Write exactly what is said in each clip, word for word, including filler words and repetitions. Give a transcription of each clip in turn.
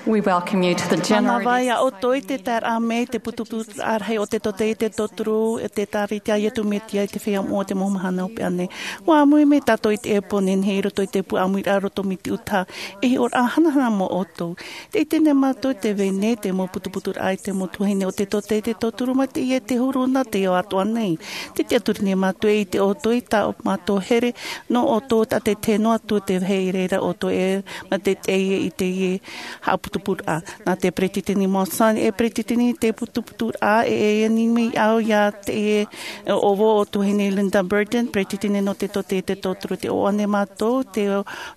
We welcome you to the General Mānava ia ʻoutou i te taeraʻa mai te putuputuraʻa rahi o te Tōtaiete Tōturu, e te Tāviti a Iesu Mesia i te feiā moʻa o te mau mahana hopeʻa nei. ʻUa ʻāmui mai tātou i teie pō nei i roto i te pū ʻāmuiraʻa roto mai te ʻutaʻa, e hiʻoraʻa hanahana mō ʻoutou. Tē ʻite nei mātou tē vai nei te mau putuputuraʻa i te mau tuahine o te Tōtaiete Tōturu mai teie te huru nā te ao atoʻa nei. Tē tiʻaturi nei mātou e ʻite ʻoutou i tā mātou here nō ʻoutou, tā te tahi noa atu te vāhi i reira ʻoutou e mā te teie i teie haʻaputuputuraʻa. Nā te Peretiteni Monson e peretiteni te putuputuraʻa, e e ani mai au ia teie ʻōvau o tuahine Linda Burton, peretiteni nō te Tōtaiete Tōturu. Tē ʻoaʻoa nei mātou te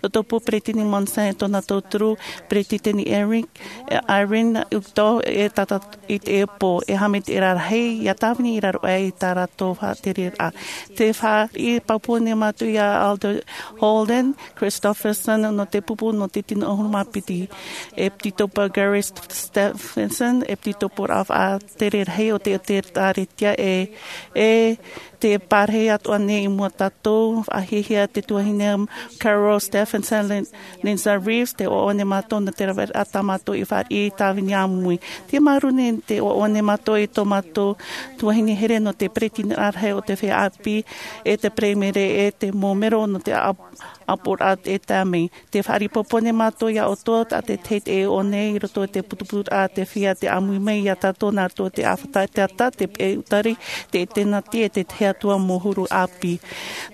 rotopū Peretiteni Monson e tōna tauturu, Peretiteni Eric, e Irene Uto, e tātou i teie pō, e haʻamaitaʻiraʻa rahi ia tāvini i raro aʻe i tā rātou faʻatereraʻa. Tē fāriʻi pāpū nei mātou ia Elder Holden Christofferson nō te pupu nō te tino ʻahuru mā piti, ʻEpitekopo Gary Stephenson, ʻEpitekopo faʻatere rahi o te, o te ʻĒkālesia, e, e te pārahi atoʻa nei i mua tātou, faʻahiahia te tuahine Carol Stephenson, Lin-, Lindsay Reeves, tē ʻoaʻoa nei mātou nō te raveraʻa tā mātou i fāriʻi tāvini āmui. Tē māuruuru nei, tē ʻoaʻoa nei mātou i tō mātou tuahine here nō te peretiteni rahi o te feiā ʻāpī, e te peremiere, e te mau mero nō te ʻāp-, ʻāpoʻoraʻa e tae mai. Tē faʻaroʻo nei mātou ia ʻoutou, tā te tahi e ʻō nei i roto i te putuputuraʻa, te feiā tē ʻāmui mai ia tātou nā roto i te ʻāfata, te ata, te peʻe utari, te ʻetenati, e te tahi atu ā mau huru ʻāpī.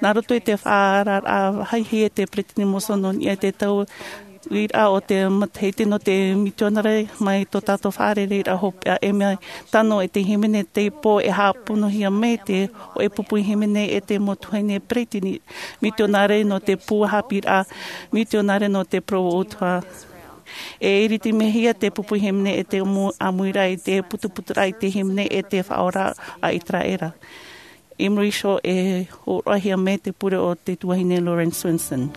Nā roto i te faʻaararaʻa vāhi e te Peretiteni Monson nō niʻa i te tauiraʻa o te matahiti nō te mitionare mai tō tātou fārereiraʻa hopeʻa, e mea tano e te hīmene teie, e haʻapūpūhia mai te hōʻē pupu hīmene e te mau tuahine peretiteni mitionare nō te pū haʻapiʻiraʻa mitionare nō te Provo ʻUtuʻa. E iritimehia te pupu hīmene e te ʻāmu-, ʻāmuiraʻa i te putuputuraʻa i te hīmene e te Faʻaora a ʻĪteraʻera. I muri iho e hōroʻahia mai te pure o te tuahine Lauren Swenson.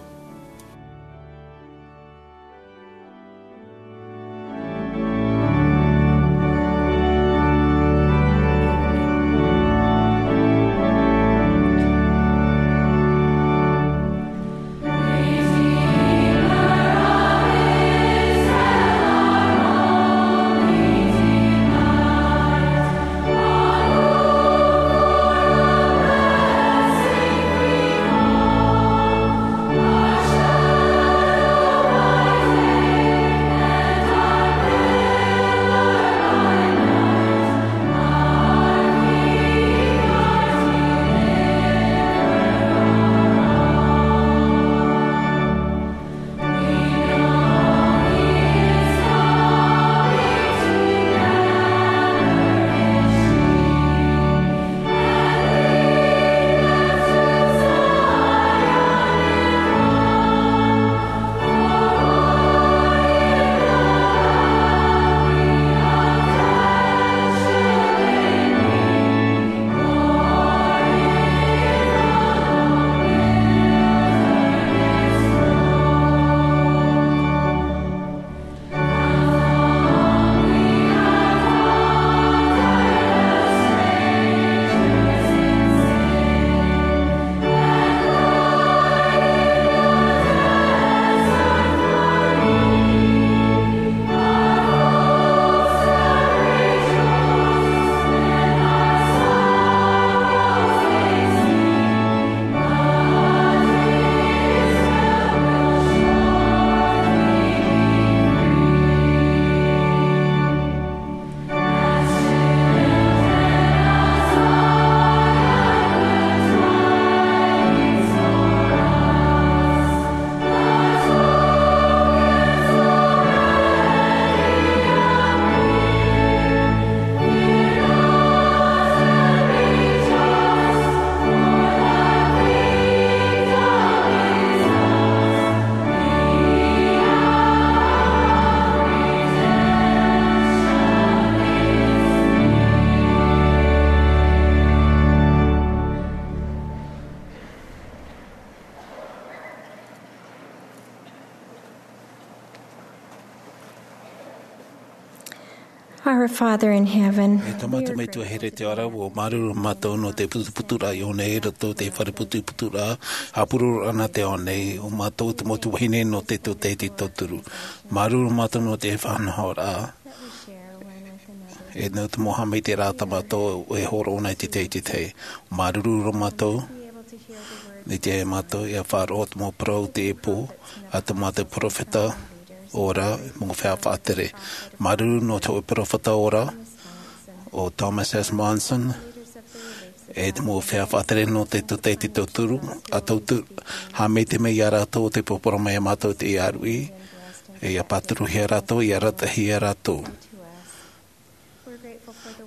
Our Father in heaven, e Tamata Metua here te ara, ʻua māuruuru mātou nō te putuputuraʻa i ʻō nei, i roto i te fare putuputuraʻa, haʻapurororaʻa nā te ao nei, ʻo mātou te mau tuahine nō te tōtaiete tauturu. Māuruuru mātou nō te faʻanahoraʻa. E nō te mau haʻamaitaʻiraʻa tā mātou e hōroʻa nei i te tahi i te tahi. Māuruuru roa mātou, i te mātou, ʻia faʻaroʻo te mau parau o teie pō, ʻa te mau perofeta ora, mau feiā faʻatere. Māuruuru nō te hōʻē perofeta ora, ʻo Thomas S. Monson, e te mau feiā faʻatere nō te tōtaiete tauturu, ʻa tauturu, haʻamaitaʻi mai ia rātou ʻo tei porapora mai ia mātou i te ʻāruʻi, e ʻia pāturuhia rātou, ʻia arataʻihia rātou.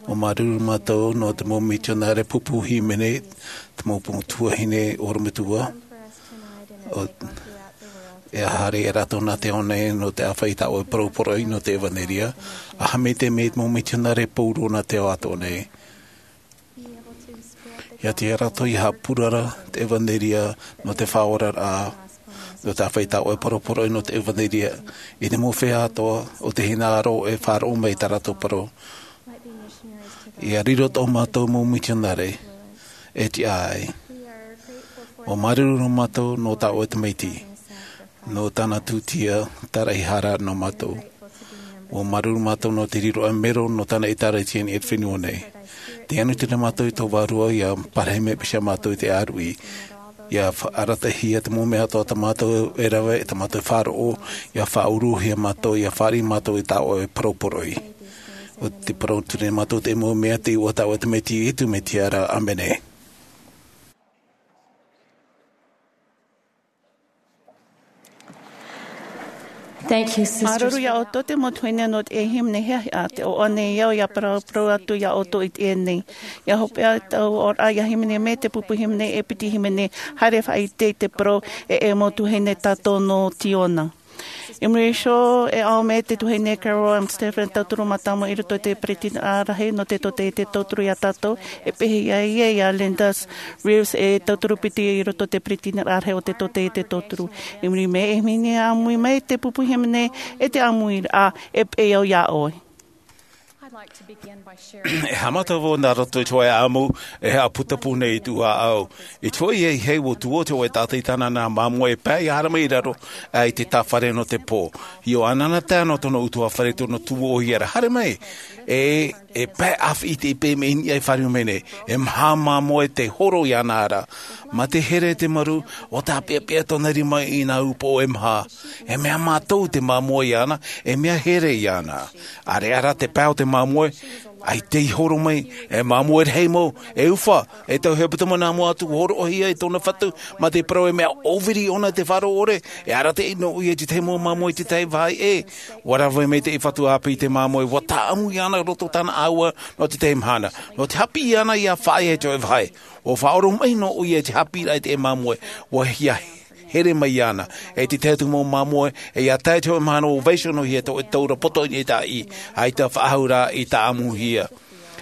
ʻUa māuruuru mātou nō te mau mitionare pupu hīmene, te mau tuahine orometua, ʻo, e haere ia rātou nā te ao nei nō te ʻāfaʻi i tā ʻoe parau poroʻi nō te ʻevanelia, ʻa haʻamaitaʻi mai te mau mitionare pauroa nā te ao atoʻa nei. ʻIa tiʻa rātou ʻia haʻapurara te ʻevanelia nō te faʻaoraraʻa, nō te ʻāfaʻi i tā ʻoe parau poroʻi nō te ʻevanelia, i te mau feiā atoʻa o te hinaʻaro e faʻaroʻo mai i tā rātou parau. ʻIa riro tō mātou mau mitionare, e tiʻa ai. ʻUa māuruuru mātou nō tā ʻoe Tamaiti, nō tāna tūtia tāraʻehara nō mātou. ʻUa māuruuru mātou nō te riroraʻa mero nō tāna ʻĒtārētia i niʻa i te fenua nei. Tē anuti nei mātou i tō Vārua ʻia parahi mai paʻi ia mātou i te ʻāruʻi. ʻIa fa-, arataʻihia te mau mea atoʻa tā mātou e rave, tā mātou e faʻaroʻo, ʻia faʻauruhia mātou, ʻia fāriʻi mātou i tā ʻoe parau poroʻi. ʻO te parau atu nei mātou i te mau mea i te iʻoa o tā ʻoe Tamaiti, Iesu Mesia ra. ʻĀmene. Thank you, sisters. Māuruuru ia ʻoutou te mau tuahine nō te hīmene hiʻahiʻa, tē ʻoaʻoa nei au ʻia paraparau atu ia ʻoutou i teie nei. ʻIa hopeʻa tāʻu oraraʻa ʻia hīmene mai te pupu hīmene e piti hīmene, haere faʻaʻite i te parau e, e mau tuahine tātou nō Ziona. I muri iho, e ʻaumi te tuahine Carol M. Stephen, tauturu mātāmua i roto i te Peresideniraʻa Rahi nō te tōtaiete tauturu ia tātou, e pehe ia ïa ia Linda Reeves, e tauturu piti i roto i te Peresideniraʻa Rahi o te tōtaiete tauturu. I muri mai, e hīmene ʻāmui mai te pupu hīmene, e te ʻāmuiraʻa, e peʻe au ia ʻoe. I'd like to begin by sharing. E haʻamata vau nā roto i te hōʻē ʻāʻamu e haʻaputapū nei i tōʻu ʻāʻau. I te hōʻē ʻāʻau, ʻua tuō te hōʻē taʻata i tāna nā māmoe e pae ʻia haere mai i raro, ʻaita i te fare nō te pō. ʻIa ʻanaʻanatae nō tōna ʻutuāfare, tōna tuōʻohia ra, haere mai. E, e pae ʻāfaʻi i te ʻipe mai i niʻa i fāriu mai nei. E maha māmoe tei horo iāna ra. Mā te here te maru, ʻua tāpeapea tōna rima i nā upoʻo e maha. E mea mātau te māmoe iāna, e mea here iāna. ʻAreʻa rā te pae o te māmoe, ʻaita i horo mai, e māmoe rahi mau, e ufa, e tau hepetoma nā mua atu horoʻahia i tōna fatu, mā te parau e mea ʻōviri ʻōna te faʻaroʻo ʻore, e arataʻi noa ʻoia i te tahi mau māmoe i te tahi vāhi ʻē. ʻUa rave mai te fatu ʻāpī i te māmoe, ʻua tāʻamu iāna i roto tāna ʻāua nō te tahi mahana. Nō te haʻapiʻi iāna ʻia faʻaea i te hōʻē vāhi. ʻUa faʻaora mai noa ʻoia i te haʻapiʻiraʻa i te māmoe, ʻua ʻia here mai iāna. E te tahi atu mau māmoe, e ʻia tae i te hōʻē mahana ʻua vaiiho noa ʻoia i te hōʻē taura poto i niʻa i te ʻāʻī, ʻaita faʻahou rā i tāʻamuhia.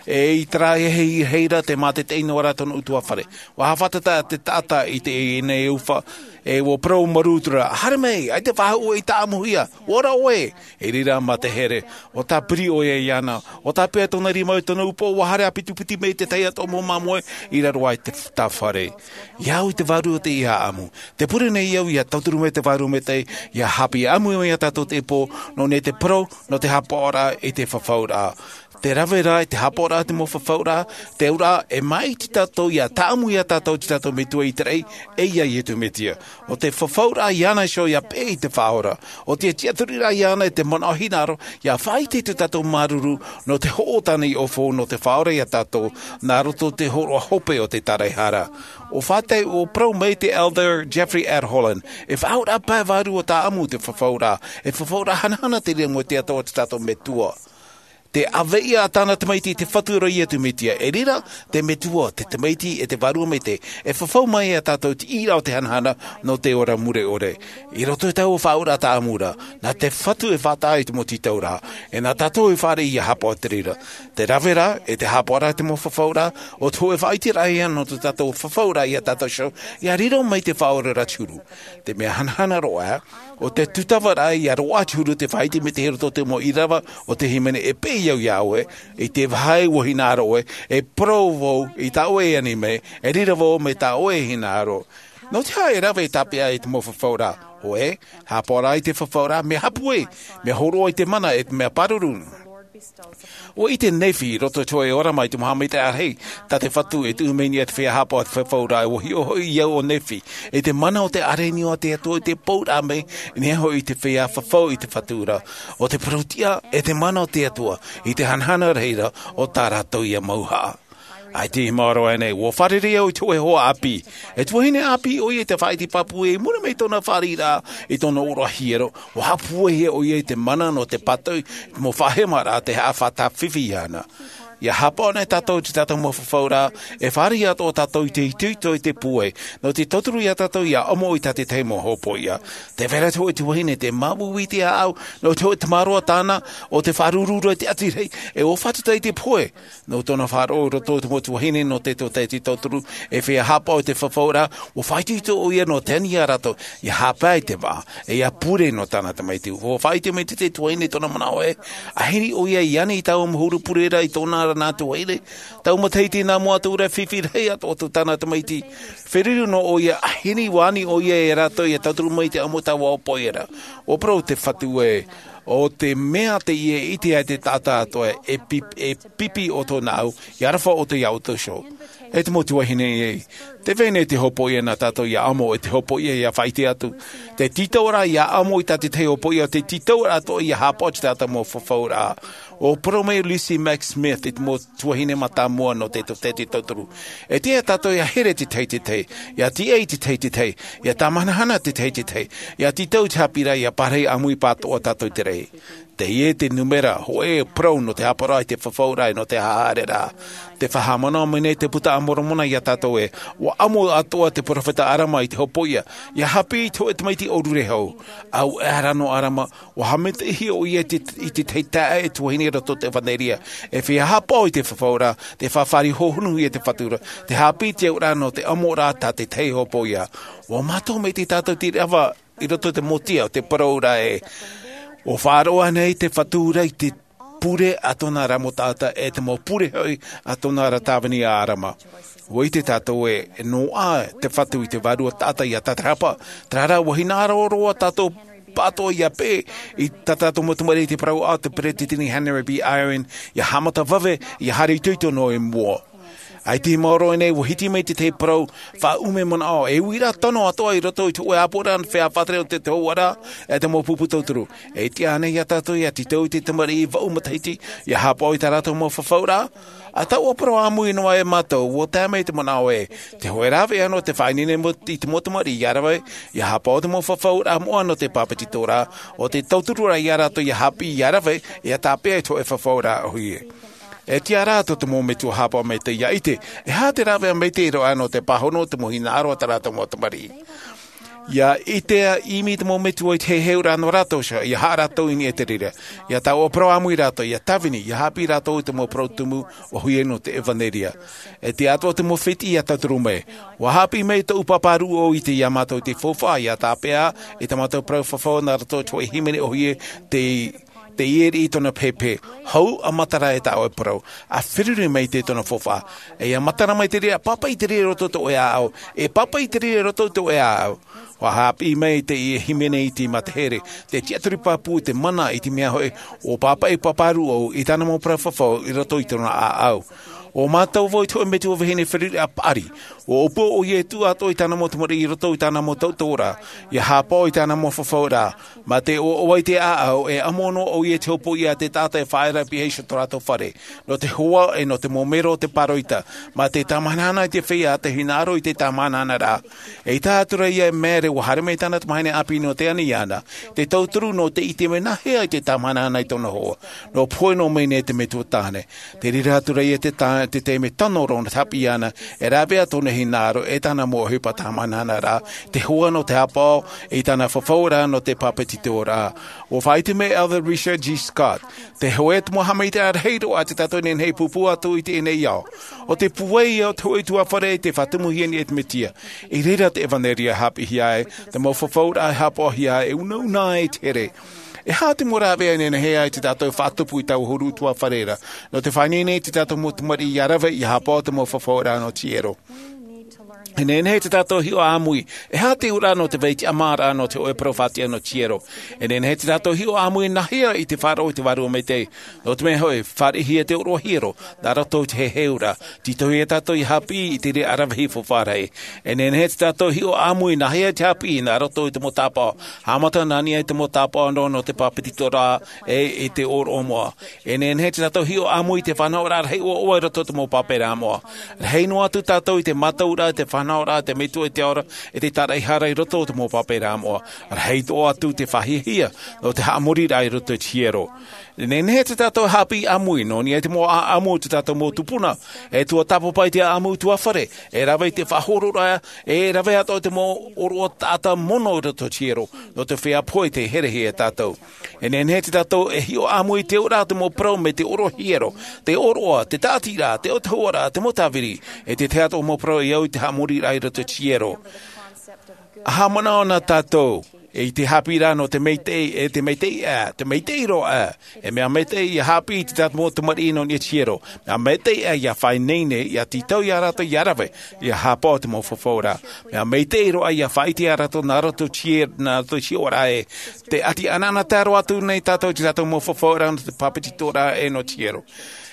E i terā hei, hei ra te mātaʻitaʻi noa ra tōna ʻutuāfare. ʻUa haʻafātata te taʻata i teie nei ufa, e ʻua parau marū atu ra, haere mai, ʻaita faʻahou i tāʻamuhia, ʻua ora ʻoe. I reira mā te here, ʻua tāpiri ʻoia iāna, ʻua tāpeʻa tōna rima i tōna upoʻo, ʻua haere ʻāpitipiti mai te tahi atu mau māmoe i raro aʻe i te f-, tā fare. ʻIa au i te Vārua Maitaʻi ʻia ʻāʻamu. Tē pure nei au ʻia tauturu mai te Vārua Maitaʻi, ʻia haʻapiʻi ʻāmui mai ia tātou i teie pō, nō niʻa i te parau, nō te haʻapaʻoraʻa i te fafauraʻa. Tē rave ra i te haʻapaʻoraʻa i te mau fafauraʻa, te auraʻa, e māʻiti tātou ʻia tāʻamu ia tātou i tō tātou Metua i te raʻi, e ia Iesu Mesia. ʻO te fafauraʻa iāna iho ʻia peʻe i te Faʻaora. ʻO te tiʻaturiraʻa iāna i te manaʻo hinaʻaro, ʻia faʻaʻite i tō tātou māuruuru, nō te hoʻo tāna i ʻōfou, nō te faʻaora ia tātou, nā roto i te hōroʻa hope o te tāraʻehara. ʻUa faʻatae, ʻua parau mai te Elder Jeffrey R. Holland, e faʻahouraʻa pae vārua tāʻamu te fafauraʻa, e fafauraʻa hanahana te reira mo te atoʻa o tō tātou Metua. Te ʻāvaʻe ia tāna Tamaiti te Fatu ra Iesu Mesia, e reira, te Metua, te Tamaiti, e te Vārua Maitaʻi, e fafau mai ia tātou i te ʻīraʻa o te hanahana, nō te ora mure ʻore. I roto i taua faʻahouraʻa tāʻamu ra, nā te Fatu e faʻataʻa i te mau tītauraʻa, e nā tātou e fāriʻi ʻia haʻapaʻo i te reira. Tē rave ra, e te haʻapaʻoraʻa i te mau fafauraʻa, ʻo te hōʻē faʻaʻiteraʻa ia nō tō tātou fafauraʻa ia tātou iho, ʻia riro mai te Faʻaora ra te huru. Te mea hanahana roa, ʻo te tūtavaraʻa ʻia roaʻa te huru tē faʻaʻite mai te huru tō te mau ʻīrava o te hīmene e peʻe au iā ʻoe i te vāhi ua hinaʻaro ʻoe, e parau vau i tā ʻoe e ani mai, e reira vau mai tā ʻoe e hinaʻaro. Nō te aha e rave e tāpeʻa i te mau fafauraʻa? ʻOe, haʻapaʻo rā i te fafauraʻa, mea haʻapūai, mea hōroʻa i te mana e te mea pāruru. Ua ʻite Nephi i roto i te hōʻē ʻōrama i te mau haʻamaitaʻiraʻa rahi tā te Fatu e tuʻu mai nei i te feiā haʻapaʻo i te fafauraʻa. Ua hiʻo hoʻi i au ʻo Nephi i te mana o te ʻāreʻa nō te Atua i te pouraʻa mai nei hoʻi i te feiā fafau i te Fatu ra, ʻo te parau-tiʻa e te mana o te Atua i te hanahana rahi ra o tā rātou ia mauhaʻa. ʻAita i maoro aʻenei, ua fārerei au i te hōʻē hoa ʻāpī. E tuahine ʻāpī ʻoia i te faʻaʻite pāpū i muri mai i tōna fāriʻiraʻa, i tōna ʻōroʻa hiero, ua haʻapūaihia ʻoia i te mana nō te pātoʻi i te mau faʻahemaraʻa tei haʻafaʻataʻa fifi iāna. ʻIa haʻapaʻo nei tātou i tā tātou mau fafauraʻa, e fāriʻi atoʻa tātou i te itoito i te pūai nō te tauturu iā tātou ʻia ʻamo i tā te tahi mau hōpoiʻa. Tē vai ra te hōʻē tuahine tē māuiui i te ʻāʻau nō te hōʻē tamaroa tāna ʻo te faʻarururaʻa i te ʻati rahi, e ʻua fātata i te pohe. Nō tōna faʻaroʻo i roto i te mau tuahine nō te tōtaiete tauturu e feiā haʻapaʻo i te fafauraʻa, ua faʻaitoito ʻoia nō te ani iā rātou ʻia haʻapae i te vaʻa, e ʻia pure nō tāna tamaiti. Ua faʻaʻite mai te tahi tuahine i tōna manaʻo ē, ʻa hiri ʻoia i ani i taua mau huru pure ra i tōna ra nā tuahine, taua matahiti nā mua atu ra, fifi rahi atoʻa atu tāna tamaiti. Feruri noa ʻoia, ʻa hiri ua ani ʻoia iā rātou ʻia tauturu mai i te ʻamo i taua hōpoiʻa ra. Ua parau te Fatu ē, ʻo te mea teie e ʻite ai te taʻata atoʻa e pip-, e pipi ʻoutou nāʻu, ʻia aroha ʻoutou iā ʻoutou iho. E te mau tuahine ē, tē vai nei te hōpoiʻa nā tātou ʻia ʻamo, e te hōpoiʻa ʻia faʻaʻite atu. Te tītauʻaraʻa ʻia ʻamo i tā te tahi hōpoiʻa, te tītauʻaraʻa atoʻa ʻia haʻapaʻo i tā tātou mau fafauraʻa. Ua parau mai Lucy Mack Smith i te mau tuahine mātāmua nō te tōtaiete tauturu, e tiʻa tātou ʻia here te tahi i te tahi, ʻia tīaʻi te tahi i te tahi, ʻia tāmahanahana te tahi i te tahi, ʻia tītau i te haʻapiʻiraʻa, ʻia pārahi ʻāmui pāʻatoʻa tātou i te raʻi. Teie te nūmera hōʻē parau nō te haʻapaʻoraʻa i te fafauraʻa e nō te haʻahaereraʻa. Tē faʻahaʻamanaʻo mai nei te Buka a Moromona iā tātou ē, ua ʻamo atoʻa te peropheta ʻAlama i te hōpoiʻa ʻia haʻapiʻi i te hōʻē tamaiti ʻōrure hou. ʻAueʻa rā nō ʻAlama, ua haʻamaitaʻihia ʻoia i te, i te tahi taeaʻe tuahine i roto i te ʻevanelia, e feiā haʻapaʻo i te fafauraʻa, tē faʻafāriʻi hōhonu ia i te Fatu ra, tē haʻapiʻi i te auraʻa nō te ʻamoraʻa tā te tahi hōpoiʻa. Ua mātau maitaʻi tātou i te ʻīrava i roto i te mōtia o te parau ra ē, ua faʻaroʻo nei te Fatu ra i te pure a tōna ra mau taʻata, e te mau pure hoʻi a tōna ra tāvini a ʻAlama. Ua ʻite tātou ē, e noaʻa te Fatu i te vārua taʻata ʻia tātarahapa, terā rā, ua hinaʻaro roa tātou pāʻatoʻa ʻia peʻe i tā tātou mau tamariʻi i te parau a te Peretiteni Henry B. Eyring, ʻia haʻamata vave, ʻia haere itoito noa i mua. ʻAita i maoro aʻenei, ua hiti mai te tahi parau faʻaʻume manaʻo, e uiraʻa tano atoʻa i roto i te hōʻē ʻāpoʻoraʻa feiā faʻatere o te, te hōhoʻaraʻa, e te mau pupu tauturu. E tiʻa ānei iā tātou ʻia tītau i te tamariʻi vaʻu matahiti, ʻia haʻapaʻo i tā rātou mau fafauraʻa? ʻA taua parau ʻāmui noa e mātou, ua tae mai te manaʻo ē, te hōʻē rāveʻa nō te faʻaineine mo-, i te mau tamariʻi ʻia rave, ʻia haʻapaʻo i te mau fafauraʻa moʻa nō te pāpetitoraʻa, ʻo te tautururaʻa iā rātou ʻia haʻapiʻi, ʻia rave, ʻia tāpeʻa i te hōʻē fafauraʻa ʻōhie. E tiʻa rā tō te mau metua haʻapaʻo maitaʻi ʻia ʻite, e aha te rāveʻa maitaʻi roa nō te pāhono, te mau hinaʻaro a tā rātou mau tamariʻi. ʻIa ʻite ʻimi te mau metua i te heheuraʻa nō rātou iho, ʻia haʻa rātou i niʻa i te reira. ʻIa taoʻa parau ʻāmui rātou, ʻia tāvini, ʻia haʻapiʻi rātou i te mau parau tumu ʻōhie nō te ʻevanelia. E tiʻa atoʻa te mau fētiʻi ʻia tauturu mai. Ua haʻapiʻi mai tōʻu pāpā rūʻau i te, iā mātou i te faufaʻa, ʻia tāpeʻa i tā mātou parau fafau nā roto i te hōʻē hīmene ʻōhie, te, te ʻieri i tōna pehepehe. Hou, ʻa matara e tā ʻoe parau. ʻA feruri mai te tōna faufaʻa. E ʻia matara mai te reira, pāpaʻi te reira i roto i tō ʻoe ʻāʻau. E pāpaʻi te reira i roto i tō ʻoe ʻāʻau. Ua haʻapiʻi mai te hīmene iti mā te here, te tiʻaturi pāpū, te mana i te mea hoʻi, ʻua pāpaʻi pāpā rūʻau i tāna mau parau fafau i roto i tōna ʻāʻau. ʻO mātou vau i te hōʻē metua vahine feruri ʻa paʻari. ʻUa ʻōpua ʻoia e tuʻu atoʻa i tāna mau tamariʻi i roto i tāna mau tauturu ra, ʻia haʻapaʻo i tāna mau fafauraʻa. Mā te ʻoaʻoa i te ʻāʻau, e ʻamo noa ʻoia i te hōpoiʻa a te taʻata e faʻaea ra i pihaʻi iho i tō rātou fare, nō te hoa e nō te mau mero o te pāroita, mā te tāmahanahana i te feiā, te hinaʻaro i te tāmahanahana ra. ʻEita atu ra ïa e Mary, ʻua haere mai tāna tamahine ʻāpī nō te ani iāna, te tauturu nō te ʻite mai nāhea i te tāmahanahana i tōna hoa, nō pohe noa mai nei te metua tāne. Tē reira atu ra ïa te tā-, te taime tano roa nō te haʻapiʻi iāna, e rāveʻa tōna hinaʻaro, e tāna mau ʻohipa tāmahanahana ra, te hoa nō te haʻapaʻo i tāna fafauraʻa nō te pāpetitoraʻa. ʻUa faʻaʻite mai Elder Richard G. Scott, te hōʻē atu mau haʻamaitaʻiraʻa rahi roa a te tātou nehenehe e pūpū atu i teie nei ao. ʻO te pūai ïa o te hōʻē ʻutuāfare i te faʻatumuhia i niʻa i te Mesia. I reira te ʻevanelia e haʻapiʻihia ai, te mau fafauraʻa e haʻapaʻohia ai, e unauna ai i te here. E aha te mau rāveʻa e nehenehe ai tā tātou e faʻatupu i taua huru utuafare ra nō te faʻaineine i tā tātou mau tamariʻi ia rave ia haʻapaʻo te mau fafauraʻa nō te hiero? E nehenehe tā tātou e hiʻo ʻāmui e aha te ʻōraʻa nō te vai tiʻamāraʻa nō te hōʻē parau faʻatiʻa nō te hiero. E nehenehe tā tātou e hiʻo ʻāmui nāhea i te faʻaroʻo i te vārua maitaʻi. Nō te mea hoʻi, fāriʻihia te ʻōroʻa hiero nā roto i te heheuraʻa. Tītauhia tātou ia haʻapiʻi i te reira ʻaravihi faufaʻa rahi. E nehenehe tā tātou e hiʻo ʻāmui nāhea te haʻapiʻi nā roto i te mau tāpaʻo. Haʻamata nā niʻa i te mau tāpaʻo nō te pāpetitoraʻa ʻe i te ʻōroʻa moʻa. E nehenehe tā tātou e hiʻo ʻāmui i te fānaʻoraʻa rahi ʻoaʻoa i roto i te mau pāpaʻiraʻa moʻa. Rahi noa atu tātou i te mātauraʻa, te fānaʻoraʻa, te metua i te ao ra, ʻe te tāraʻehara i roto i te mau pāpaʻiraʻa moʻa. Rahi atoʻa atu te fāhiahia nō te haʻamoriraʻa i roto i te hiero. E nehenehe tā tātou e haʻapiʻi ʻāmui nō niʻa i te mau ʻāʻamu o tā tātou mau tupuna, e tuatāpapa i te ʻāʻamu utuafare, e rave i te faʻahororaʻa, e rave atoʻa i te mau ʻōroʻa taʻata mono i roto i te hiero, nō te feiā pohe tei herehia e tātou. E nehenehe tā tātou e hiʻo ʻāmui i te ʻōraʻa o te mau parau mai te ʻōroʻa hiero, te ʻōroʻa, te tāʻatiraʻa, te ʻōtahuaraʻa, te mau tāviri, ʻe te tahi atoʻa mau parau e au i te haʻamoriraʻa i roto i te hiero. ʻA haʻamanaʻo na tātou i te haʻapiʻiraʻa nō te maitaʻi, ʻe te maitaʻi ʻā, te maitaʻi roa ʻā. E mea maitaʻi ia haʻapiʻi i tā tātou mau tamariʻi nō niʻa i te hiero. Mea maitaʻi ʻā ia faʻaineine, ia tītau ia rātou ia rave ia haʻapaʻo te mau fafauraʻa. Mea maitaʻi roa ia faʻaʻite ia rātou nā roto i te hiero, nā roto i te hiʻoraʻa ē, te ʻati ʻanaʻanatae roa atu nei tātou i tā tātou mau fafauraʻa nō te pāpetitoraʻa ʻe nō te hiero.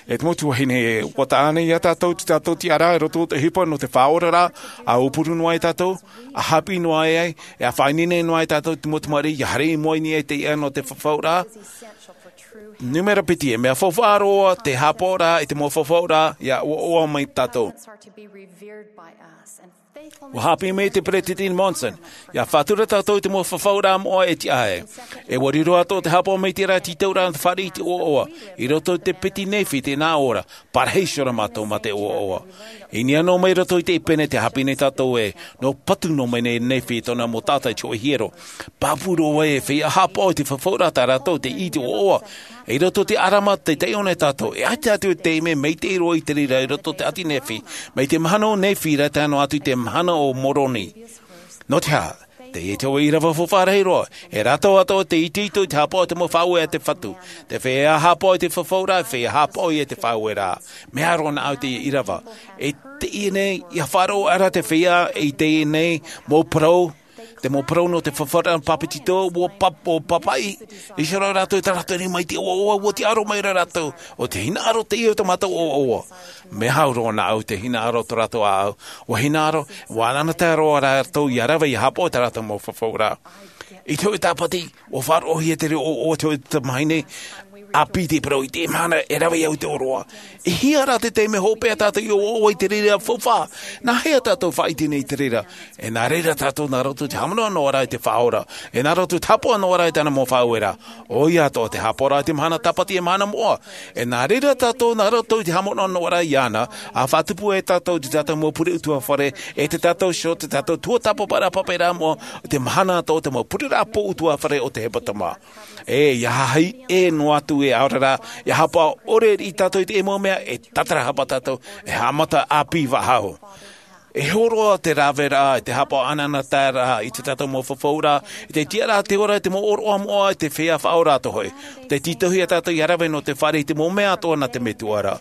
E te mau tuahine ē, ʻua taʻa ānei ia tātou i tā tātou tiʻaraʻa i roto i te ʻohipa nō te faʻaoraraʻa, ʻa aupuru noa ai tātou, ʻa haʻapiʻi noa ai, ʻe ʻa faʻaineine noa ai tātou i te mau tamariʻi ia haere i mua i niʻa i te iʻa nō te fafauraʻa. Nūmera piti, e mea faufaʻa roa te haʻapaʻoraʻa i te mau fafauraʻa ia ʻoaʻoa mai tātou. ʻUa haʻapiʻi mai te Peresideni Monson, ia faʻatura tātou i te mau fafauraʻa moʻa e tiʻa ai. ʻE ʻua riro atoʻa te haʻapaʻo maitaʻi ra i te tītauraʻa nō te fāriʻi i te ʻoaʻoa, i roto i te piti Nephi i teie nei ora, parahi iho ra mātou mā te ʻoaʻoa. I niʻa noa mai roto i te ʻīpene tē haʻapiʻi nei tātou ē, nō patu noa mai nei Nephi tōna mau taʻata i te hōʻē hiero. Pāpū roa ē, e feiā haʻapaʻo i te fafauraʻa tā rātou tei ʻī i te ʻoaʻoa. I roto i te ʻarama tei taiʻo nei tātou, e ʻaita atu te taime maitaʻi roa i te reira i roto i te ʻāti Nephi, mai te mahana o Nephi ra tae noa atu i te mahana o Moroni. Nō te aha? Teie te hōʻē ʻīrava faufaʻa rahi roa, e rātou atoʻa tei itoito i te haʻapaʻo i te mau faʻaueraʻa a te Fatu. Te feiā haʻapaʻo i te fafauraʻa, e feiā haʻapaʻo ia i te faʻaueraʻa. Mea roa na au i teie ʻīrava. E teie nei, ia faʻaroʻo ra te feiā i teie nei mau parau, te mau parau nō te fafauraʻa pāpetito, ʻua pap-, ʻua pāpaʻi iho ra rātou i tā rātou rima i te ʻoaʻoa, ʻua tiʻa roa mai ra rātou, ʻo te hinaʻaro teie o tā mātou ʻoaʻoa. Mea au roa na au i te hinaʻaro o tō rātou ʻāʻau. ʻUa hinaʻaro, ʻua ʻanaʻanatae roa rātou ia rave ia haʻapaʻo i tā rātou mau fafauraʻa. I te hōʻē tāpati, ʻua faʻaroʻohia te reira ʻoaʻoa i te hōʻē tamahine ʻāpī, tē parau, i teie mahana e rave au i te ʻōroʻa. E hia rā te taime hopeʻa tātou i ʻoaʻoa i te reira faufaʻa? Nāhea tātou e faʻaʻite nei i te reira? E nā reira tātou nā roto i te haʻamanaʻo noa ra i te Faʻaora. E nā roto i te haʻapaʻo noa ra i tāna mau faʻaueraʻa. ʻOia atoʻa te haʻapaʻoraʻa i te mahana tāpati, e mahana moʻa. E nā reira tātou nā roto i te haʻamanaʻo noa ra iāna, ʻa faʻatupu ai tātou i tā tātou mau pure utuafare, ʻe tā tātou iho, tā tātou tuatāpaparaʻa pāpaʻiraʻa moʻa, i te mahana atoʻa o te mau pureraʻa pō utuafare o te hepetoma. E, ia haʻahaʻi ʻē noa atu e ʻaore rā, ia haʻapaʻo ʻore riʻi tātou i te mau mea, e tātarahapa tātou, e haʻamata ʻāpī faʻahou. E hōroʻa te raveraʻa, i te haʻapaʻo ʻanaʻanataeraʻa, i tā tātou mau fafauraʻa, i te tiʻaraʻa i te ora, i te mau ʻōroʻa moʻa, i te feiā faʻaora atoʻa hoʻi. Tē tītauhia tātou ia rave nō te fāriʻi i te mau mea atoʻa nā te Metua ra.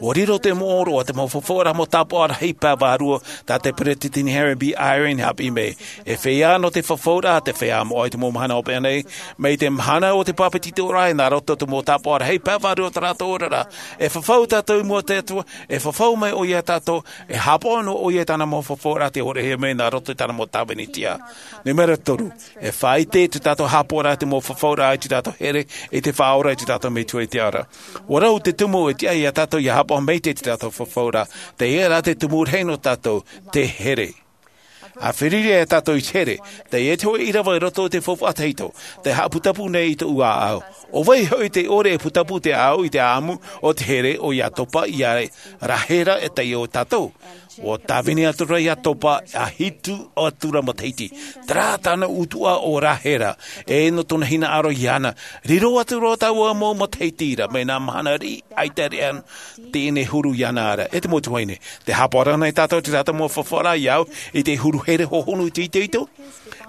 ʻUa riro te mau ʻōroʻa, te mau fafauraʻa, mau tāpaʻo rahi pae vārua, tā te Peresideni Henry B. Eyring i haʻapiʻi mai. E feiā nō te fafauraʻa, te feiā moʻa i te mau mahana hopeʻa nei, mai te mahana o te pāpetitoraʻa, nā roto i te mau tāpaʻo rahi pae vārua o tā rātou oraraʻa. E fafau tātou i mua i te Atua, e fafau mai ʻoia ia tātou, e haʻapaʻo noa ʻoia i tāna mau fafauraʻa tei ʻōroʻahia mai nā roto i tāna mau tāvini tiʻa. Nūmera toru, e faʻaʻite i tā tātou haʻapaʻoraʻa i te mau fafauraʻa i tā tātou here i te Faʻaora, i tā tātou Metua i te ao ra. ʻUa rau te tumu e tiʻa ia tātou ia haʻapaʻo maitaʻi i tā tātou fafauraʻa, teie rā te tumu rahi nō tātou, te here. ʻA feruri ia tātou i te here, teie te hōʻē ʻīrava i roto i te faufaʻa tahito, tē haʻaputapū nei i tōʻu ʻāʻau. ʻO vai hoʻi tē ʻore e putapū te ʻāʻau i te ʻāʻamu o te here, ʻoia topa ia Rahera e taiʻo ia tātou? ʻUa tāvini atu ra iā Topa, ʻa hitu atu ra matahiti. Terā tāna ʻutuʻa ʻo Rāhera, e nō tōna hinaʻaro iāna. Riro atu ra taua mau matahiti ra, mai nā mahana riʻi, ʻaita e teie nei huru iāna ra. E te mau tuahine, tē haʻapaʻo ra ānei tātou i terā mau fafauraʻa iāʻu, i te huru here hohonu itoito?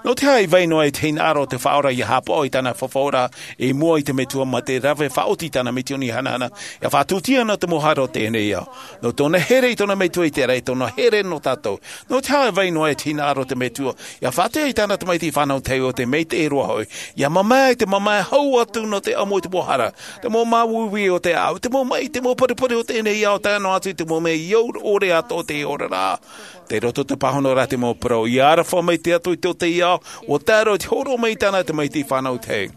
Nō te aha e vai noa e te hinaʻaro o te Faʻaora ʻia haʻapaʻo i tāna fafauraʻa i mua i te Metua, mā te rave faʻaoti i tāna misioni hanahana, ʻia faʻatūtia nō te mau hara o teie nei ao. Nō tōna here i tōna Metua i te raʻi, tōna here nō tātou. Nō te aha e vai noa e te hinaʻaro o te Metua ʻia faʻaʻite i tāna tamaiti fānau tahi, ʻo te maitaʻi roa hoʻi, ʻia mamae, te mamae hau atu nō te ʻamo i te mau hara, te mau māuiui o te ʻāʻau, te mau maʻi, te mau paripari o teie nei ao, tae noa atu i te mau mea ʻore atoʻa o teie oraraʻa. Tei roto te pāhonoraʻa te mau parau, ʻia aroha mai te Atua i tō teie ao, ʻua tae roa i te hōroʻa mai i tāna tamaiti fānau tahi.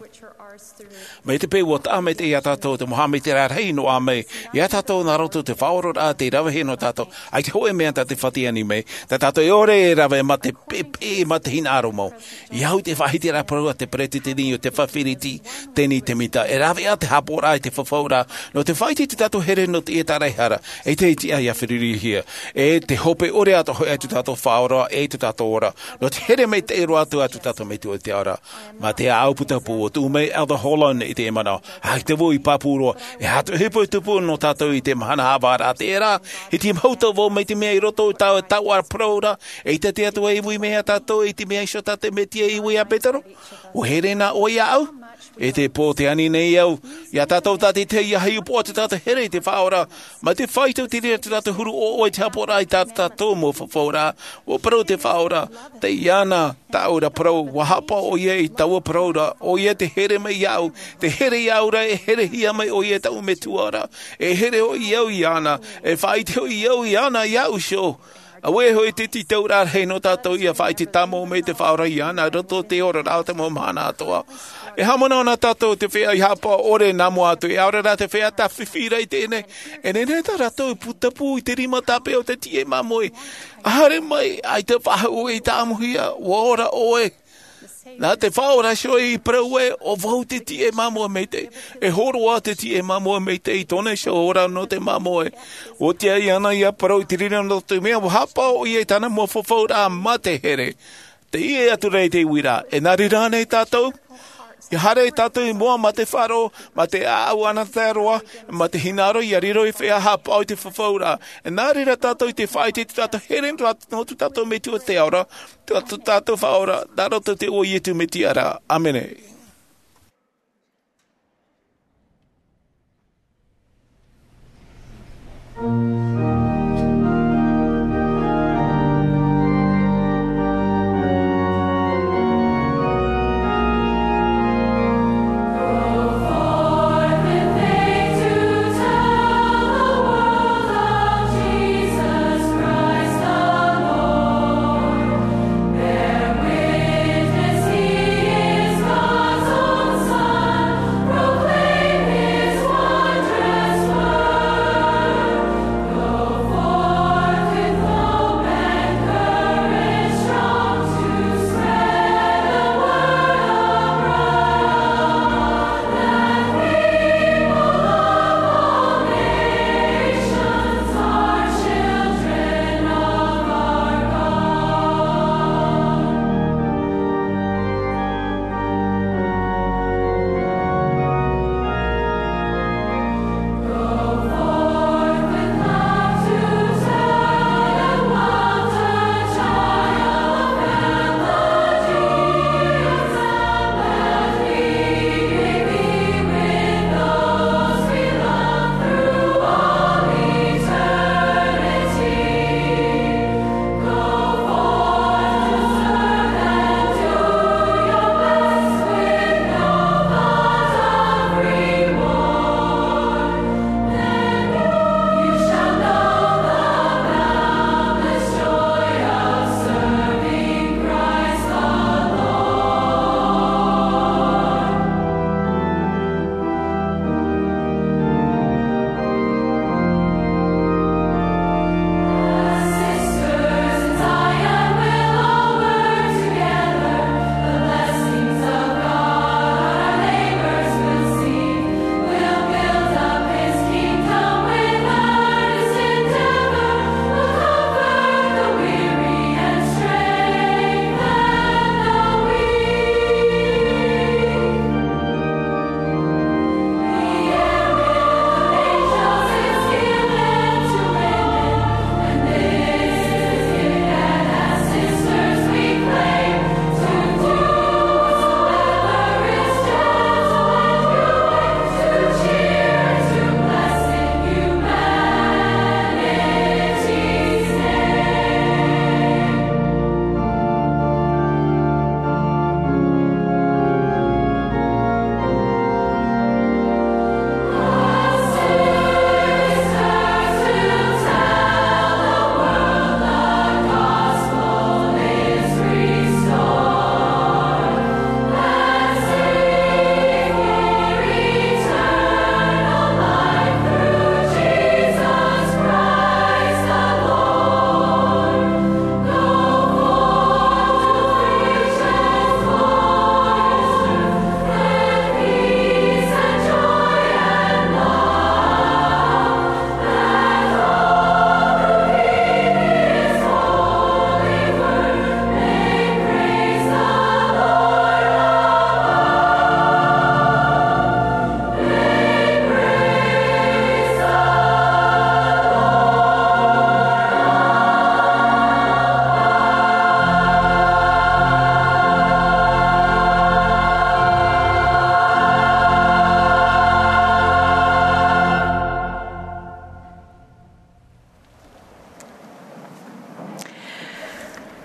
Mai te peu ʻua taʻa maitaʻi iā tātou te mau haʻamaitaʻiraʻa rahi noa mai iā tātou nā roto i te faʻaoraraʻa tei ravehia nō tātou, ʻaita e hōʻē mea tā te fāriʻi mai, tā tātou e ʻore e rave mā te pepe, mā te hinaʻaro mau. ʻIa au i te faʻahitiraʻa parau a te peretiteni o te Fāfiriti, Teni Temita, e rave ā te haʻapaʻoraʻa i te fafauraʻa, nō te faʻaʻite i tō tātou here nō te ʻētaraʻehara, e te iti ʻia ferurihia, e te hope ʻore atoʻa hoʻi a tō tātou Faʻaora, e tō tātou ora, nō te here maitaʻi roa atu a tō tātou Metua i te ao ra. Mā te ʻāʻau putapū ʻua tuʻu mai Elder Holland i teie manaʻo. ʻAita vau i pāpū roa, e aha te ʻohipa i tupu nō tātou i te mahana haʻavāraʻa terā, ʻiti mahuta vau mai te mea i roto i taua, taua parau ra, eʻita te Atua i ui mai iā tātou i te mea iho tā te Mesia i ui iā Petero. ʻUa here na ʻoe iāʻu? E te pō tē ani nei au iā tātou tātaʻitahi ʻia hiʻopoʻa tō tātou here i te Faʻaora, mā te faʻaitoito i tō tātou huru ʻoʻoe i te haʻapaʻoraʻa i tā tātou mau fafauraʻa. ʻUa parau te Faʻaora, tei iāna tāʻu ra parau, ʻua haʻapaʻo ʻoia i taua parau ra, ʻoia te here mai iāʻu, te here iāʻu ra, e herehia mai ʻoia e taʻu Metua ra, e here hoʻi au iāna, e faʻaʻite hoʻi au iāna iāʻu iho. Auē hoʻi te tītauraʻa rahi nō tātou ʻia faʻaʻite tāmau mai te Faʻaora iāna i roto i te oraraʻa o te mau mahana atoʻa. E haʻamanaʻo na tātou te feiā i haʻapaʻo ʻore nā mua atu, e ʻaore rā te feiā tāfifi ra i teie nei. E nehenehe tā rātou i putapū i te rima tāpeʻa o te tiʻe māmoe. ʻA haere mai, ʻaita e faʻahoʻi i tāʻamuhia, ʻua ora ʻoe. Nā te Faʻaora iho i parau ē, ʻo vau te tiʻe māmoe maitaʻi. E hōroʻa te tiʻe māmoe maitaʻi i tōna iho ora nō te māmoe. ʻUa tiʻa iāna ʻia parau i te reira nō te mea, ʻua haʻapaʻo ʻoia i tāna mau fafauraʻa mā te here. Tei ʻē atu ra i te uiraʻa, e nā reira ānei tātou? ʻIa haere tātou i mua mā te faʻaroʻo, mā te ʻāʻau anaʻe roa, mā te hinaʻaro ʻia riro ei feiā haʻapaʻo i te fafauraʻa. E nā reira tātou i te faʻaʻite i tō tātou here nō tō tātou Metua i te ao ra, tō tātou Faʻaora, nā roto i te iʻoa o Iesu Mesia ra. ʻĀmene.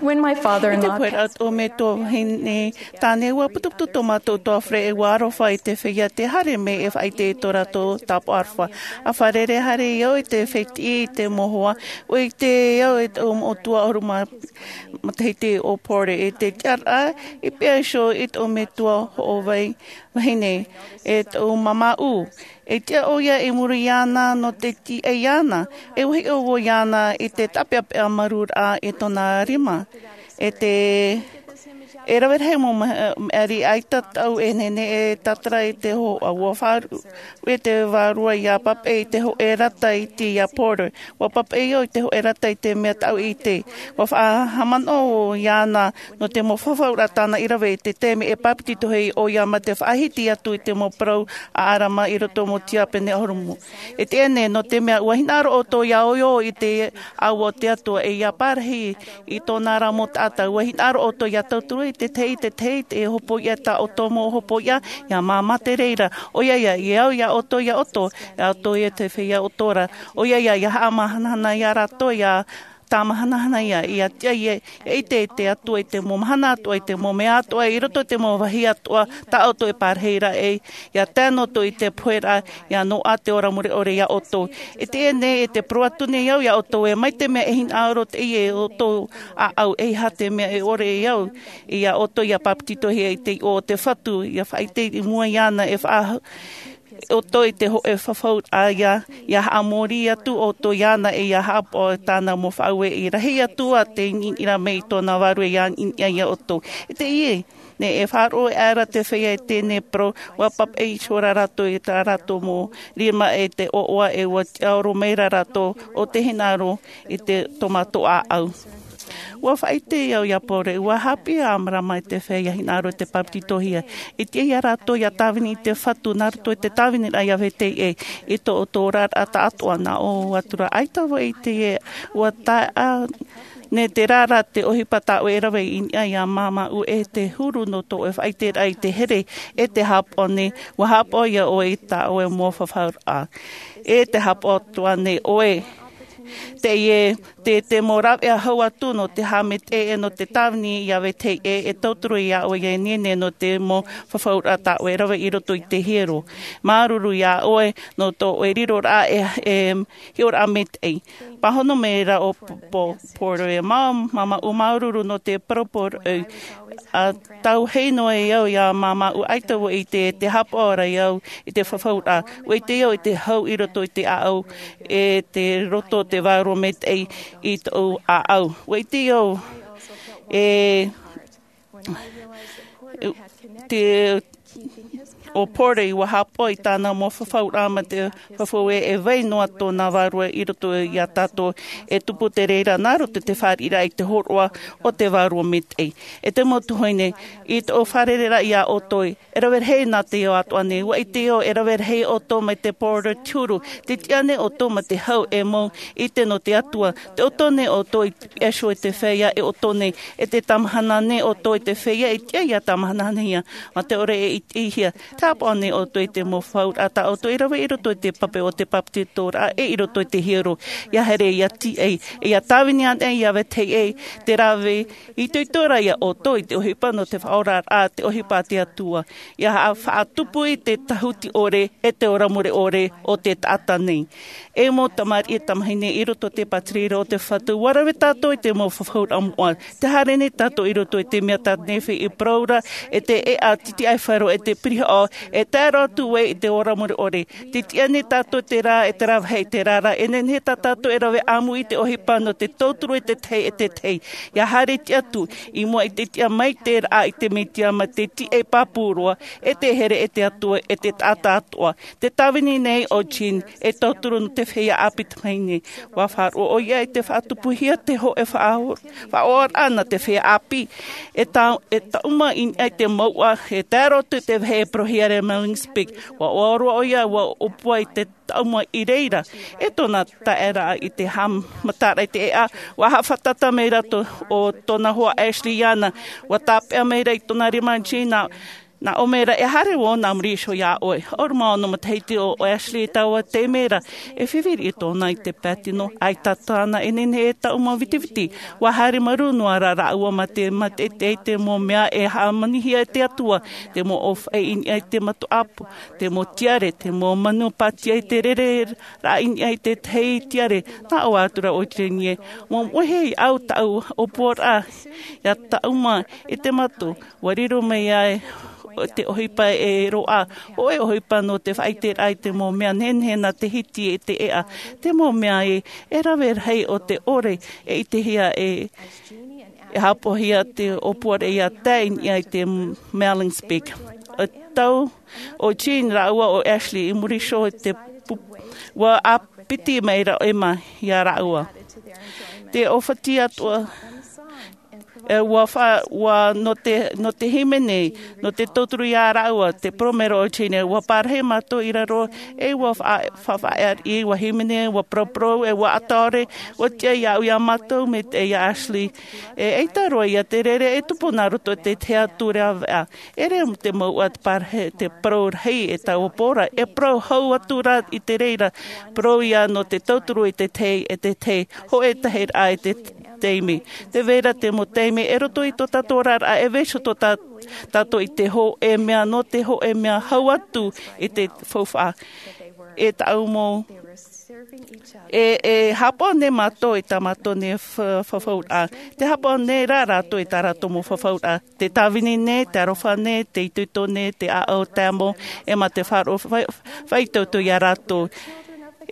When my father-in-law I te pō o tō metua vahine tāne, ua putuputu tō mātou utuafare, ua aroha i te feiā tē haere mai e faʻaʻite i tō rātou tāpaʻo aroha. ʻA fārerei haere au i te fētiʻi i te mau hoa, ʻua ʻite au i tō mātou moʻotua ʻahuru mā matahiti o Porter, i te tiʻaraʻa i pea iho i tō metua hoʻovai vahine, e tō māmā ʻū. E tiʻa ʻoia i muri iāna nō te tiʻa iāna, e ua hiʻo vau iāna i te tāpeʻapeʻa marūraʻa i tōna rima. E te, e rave rahi mau ma-, mea riʻi ʻaita tāʻu e nehenehe e tātara i te hohoʻa. Ua faʻaruʻe te vārua ʻia papaʻi i te hōʻē rata iti iā Porter. Ua papaʻi au i te hōʻē rata i te mea tāʻu i ʻite. Ua faʻahaʻamanaʻo iāna nō te mau fafauraʻa tāna i rave i te taime e bāpetizohia ʻoia mā te faʻahiti atu i te mau parau a ʻĀrama i roto mau tiapene ʻahuru mā. E tiʻa nei, nō te mea ua hinaʻaro ʻoutou ʻia ʻoiʻoi i te ʻāua o te Atua, e ʻia parahi i tōna ra mau taʻata. Ua hinaʻaro ʻoutou ʻia tauturu i te tahi, te tahi, te hopoiʻa tā ʻoutou mau hopoiʻa, ʻia māmā te reira. ʻOia ia, i au iā ʻoutou, iā ʻoutou, iā ʻoutou ia te feiā ʻoutou ra. ʻOia ia, ʻia haʻamahanahana iā rātou, ʻia tāmahanahana ia, ʻia tiʻa ia, ʻia ʻite i te Atua i te mau mahana atoʻa, i te mau mea atoʻa, i roto i te mau vāhi atoʻa, tā ʻoutou e parahi ra e, ʻia tae noa atu i te poheraʻa, ʻia noaʻa te ora mure ʻore iā ʻoutou. E tiʻa nei, e te parau atu nei au iā ʻoutou ē, mai te mea e hinaʻaro teie e ʻoutou ʻāʻau, ʻeiaha te mea e ʻore e au, iā ʻoutou ʻia bāpetizohia i te iʻoa o te Fatu, ʻia faʻaʻite i mua iāna e faʻa-, ʻoutou i te hōʻē fafauraʻa ia, ʻia haʻamori atu ʻoutou iāna e ʻia haʻapaʻo i tāna mau faʻaueʻi. Rahi atu ā te ʻiniʻiniraʻa mai i tōna Vārua ʻia ʻiniʻina iā ʻoutou. E teie nei, e faʻaroʻo aʻera te feiā i teie nei parau, ua papaʻi iho ra rātou i tā rātou mau rima e te ʻoaʻoa, e ua tiʻaoro mai ra rātou ʻo tē hinaʻaro i te, tō mātou ʻāʻau. Ua faʻaʻite au iā Porter, ua haʻapiʻi ʻo Amarama i te feiā hinaʻaro i te bāpetizohia. E tiʻa ia rātou ʻia tāvini i te Fatu nā roto i te tāviniraʻa ʻia vetahi ʻē, i tō ʻoutou oraraʻa taʻatoʻa. Nā ʻō atu ra, ʻaita vau e ʻite ē, ua tae nei terā ra te ʻohipa tā ʻoe e rave i niʻa iā māmā ʻū, e te huru nō tō ʻoe faʻaʻiteraʻa i te here, e te haʻapaʻo nei, ua haʻapaʻo ia ʻoe i tā ʻoe mau fafauraʻa. E te haʻapaʻo atoʻa nei ʻoe, teie, te, te mau rāveʻa hau atu nō te haʻamaitaʻi, e nō te tāvini ʻia vetahi ʻē, e tauturu iā ʻoe ʻia nehenehe nō te mau fafauraʻa tā ʻoe e rave i roto i te hiero. Māuruuru iā ʻoe nō tō ʻoe riroraʻa e, e hiʻoraʻa maitaʻi. Pāhono mai ra ʻo P-, P-, Porter ē, mā-, māmā ʻū, māuruuru nō te parau poroʻi. ʻA tauhei noa au iā māmā ʻū, ʻaita vau e ʻite ē, te haʻapaʻo ra au i te fafauraʻa. ʻUa ʻite au i te hau i roto i te ʻāʻau, e te roto o te Vārua Maitaʻi i tōʻu ʻāʻau. ʻUa ʻite au e te, ʻo Porter, ʻua haʻapaʻo i tāna mau fafauraʻa mā te fafau ē, e vai noa tōna Vārua i roto iā tātou, e tupu te reira nā roto i te fāriʻiraʻa i te hōroʻa o te Vārua Maitaʻi. E te mau tuahine, i tōʻu fārereiraʻa iā ʻoutou, e rave rahi nā te ao atoʻa nei, ʻua ʻite au e rave rahi ʻoutou mai te Porter te huru, tē tiʻa nei ʻoutou mā te hau e mau ʻite nō te Atua, tē ʻoutou nei ʻoutou i te piha iho i te feiā e ʻoutou nei, e tē tamahana nei ʻoutou i te feiā e tiʻa ʻia tamahanahia, mā te ʻore e ʻitehia, tē haʻapaʻo nei ʻoutou i te mau fafauraʻa tā ʻoutou i rave i roto i te pape o te bāpetizoraʻa e i roto i te hiero, ʻia haere ʻia tīaʻi, ʻia tāvini anaʻe ʻia vetahi ʻē, te rave itoito ra iā ʻoutou i te ʻohipa nō te faʻaoraraʻa, te ʻohipa a te Atua, ʻia haʻa-, faʻatupu i te tāhuti ʻore, e te ora mure ʻore o te taʻata nei. E mau tamariʻi, e tamahine i roto i te pātireia o te Fatu, ʻua rave tātou i te mau fafauraʻa moʻa. Tē haere nei tātou i roto i te mea tā Nefi i parau ra, e te ʻēʻa titiʻaifaro, e te pirihaʻo, e tae roa atu vau i te ora mure ʻore. Tē tiʻa nei tātou terā, e terā vāhi, terā ra, e nehenehe tā tātou e rave ʻāmui i te ʻohipa nō te tauturu i te tahi, e te tahi. ʻIa haere tiʻa atu, i mua i te tiʻa mai te raʻa i te Mesia mā te tīaʻi pāpū roa, e te here, e te Atua, e te taʻata atoʻa. Tē tāvini nei ʻo Jean, e tauturu nō te feiā ʻāpī tamahine. ʻUa faʻaroʻo ʻoia i te faʻatupuhia te hōʻē faʻa-, faʻaʻohiparaʻa nā te feiā ʻāpī. E ta-, e taʻuma i niʻa i te mouʻa, e tae roa atu te vāhi e parauhia ra e Milne Peak. ʻUa ʻoaʻoa roa ʻoia, ʻua ʻōpua i te taʻuma i reira. E tōna taeraʻa i te haʻamataraʻa i te ʻēʻa, ʻua haʻafātata mai ra tō, ʻo tōna hoa Ashley iāna. ʻUa tāpeʻa mai ra i tōna rima Jean, Nā ʻō mai ra, e haere vau nā muri iho iā ʻoe. ʻAore mā ʻōna matahiti o Ashley i taua taime ra, e fifiri tōna i te pātino, ʻaita tāna e nehenehe e taʻuma vitiviti. ʻUa haere marū noa ra rāua mā te mātaʻitaʻi i te mau mea e hāmanihia e te Atua, te mau ʻōfaʻi i niʻa i te matu ʻāpō, te mau tiare, te mau manu pātia i te rere raʻa i niʻa i te tahi tiare. Nā ʻō atu ra ʻo Jane ē, ʻua moʻe hia au tāʻu ʻōpuaraʻa, ʻia taʻuma i te matu. ʻUa riro mai ai te ʻohipa e roaʻa, hōʻē ʻohipa nō te faʻaʻiteraʻa i te mau mea nehenehe nā te hiti e te ʻēʻa, te mau mea ē, e rave rahi o te ʻore e ʻitehia e, e hāpaʻohia te ʻōpuaraʻa ʻia tae i niʻa i te Malan's Peak. E tau ʻo Jean rāua ʻo Ashley i muri iho i te pu-, ʻua ʻāpiti mai ra ʻo Emma iā rāua. Te ʻōfati atoʻa, e, ʻua fa-, ʻua nō te, nō te hīmene, nō te tauturu iā rāua, te parau mai ra ʻo Jean ē, ʻua parahi mātou i raro, e ʻua fa-, fa-, faʻaʻite, ʻua hīmene, ʻua paraparau, e ʻua ʻatore, ʻua tiʻa iāʻu iā mātou, mai te, iā Ashley. E, ʻaita roa ia te rere, e tupu nā roto i te tahi atu rāveʻa. E rave te mouʻa te parahi, te parau rahi, e taua pō ra, e parau hau atu ra i te reira, parau ia nō te tauturu i te tahi, e te tahi, hōʻē tahiraʻa i te taime. Tē vai ra te mau taime, e roto i tō tātou oraraʻa, e vaiiho tō tā-, tātou i te hōʻē mea, nō te hōʻē mea hau atu i te faufaʻa. E tāʻu mau, e, e hāpaʻo nei mātou i tā mātou nei fa-, fafauraʻa. Tē hāpaʻo nei rā rātou i tā rātou mau fafauraʻa. Te tāvini nei, te aroha nei, te itoito nei, te ʻāʻau tae mau, e mā te faʻaroʻo fa-, faʻaitoito iā rātou.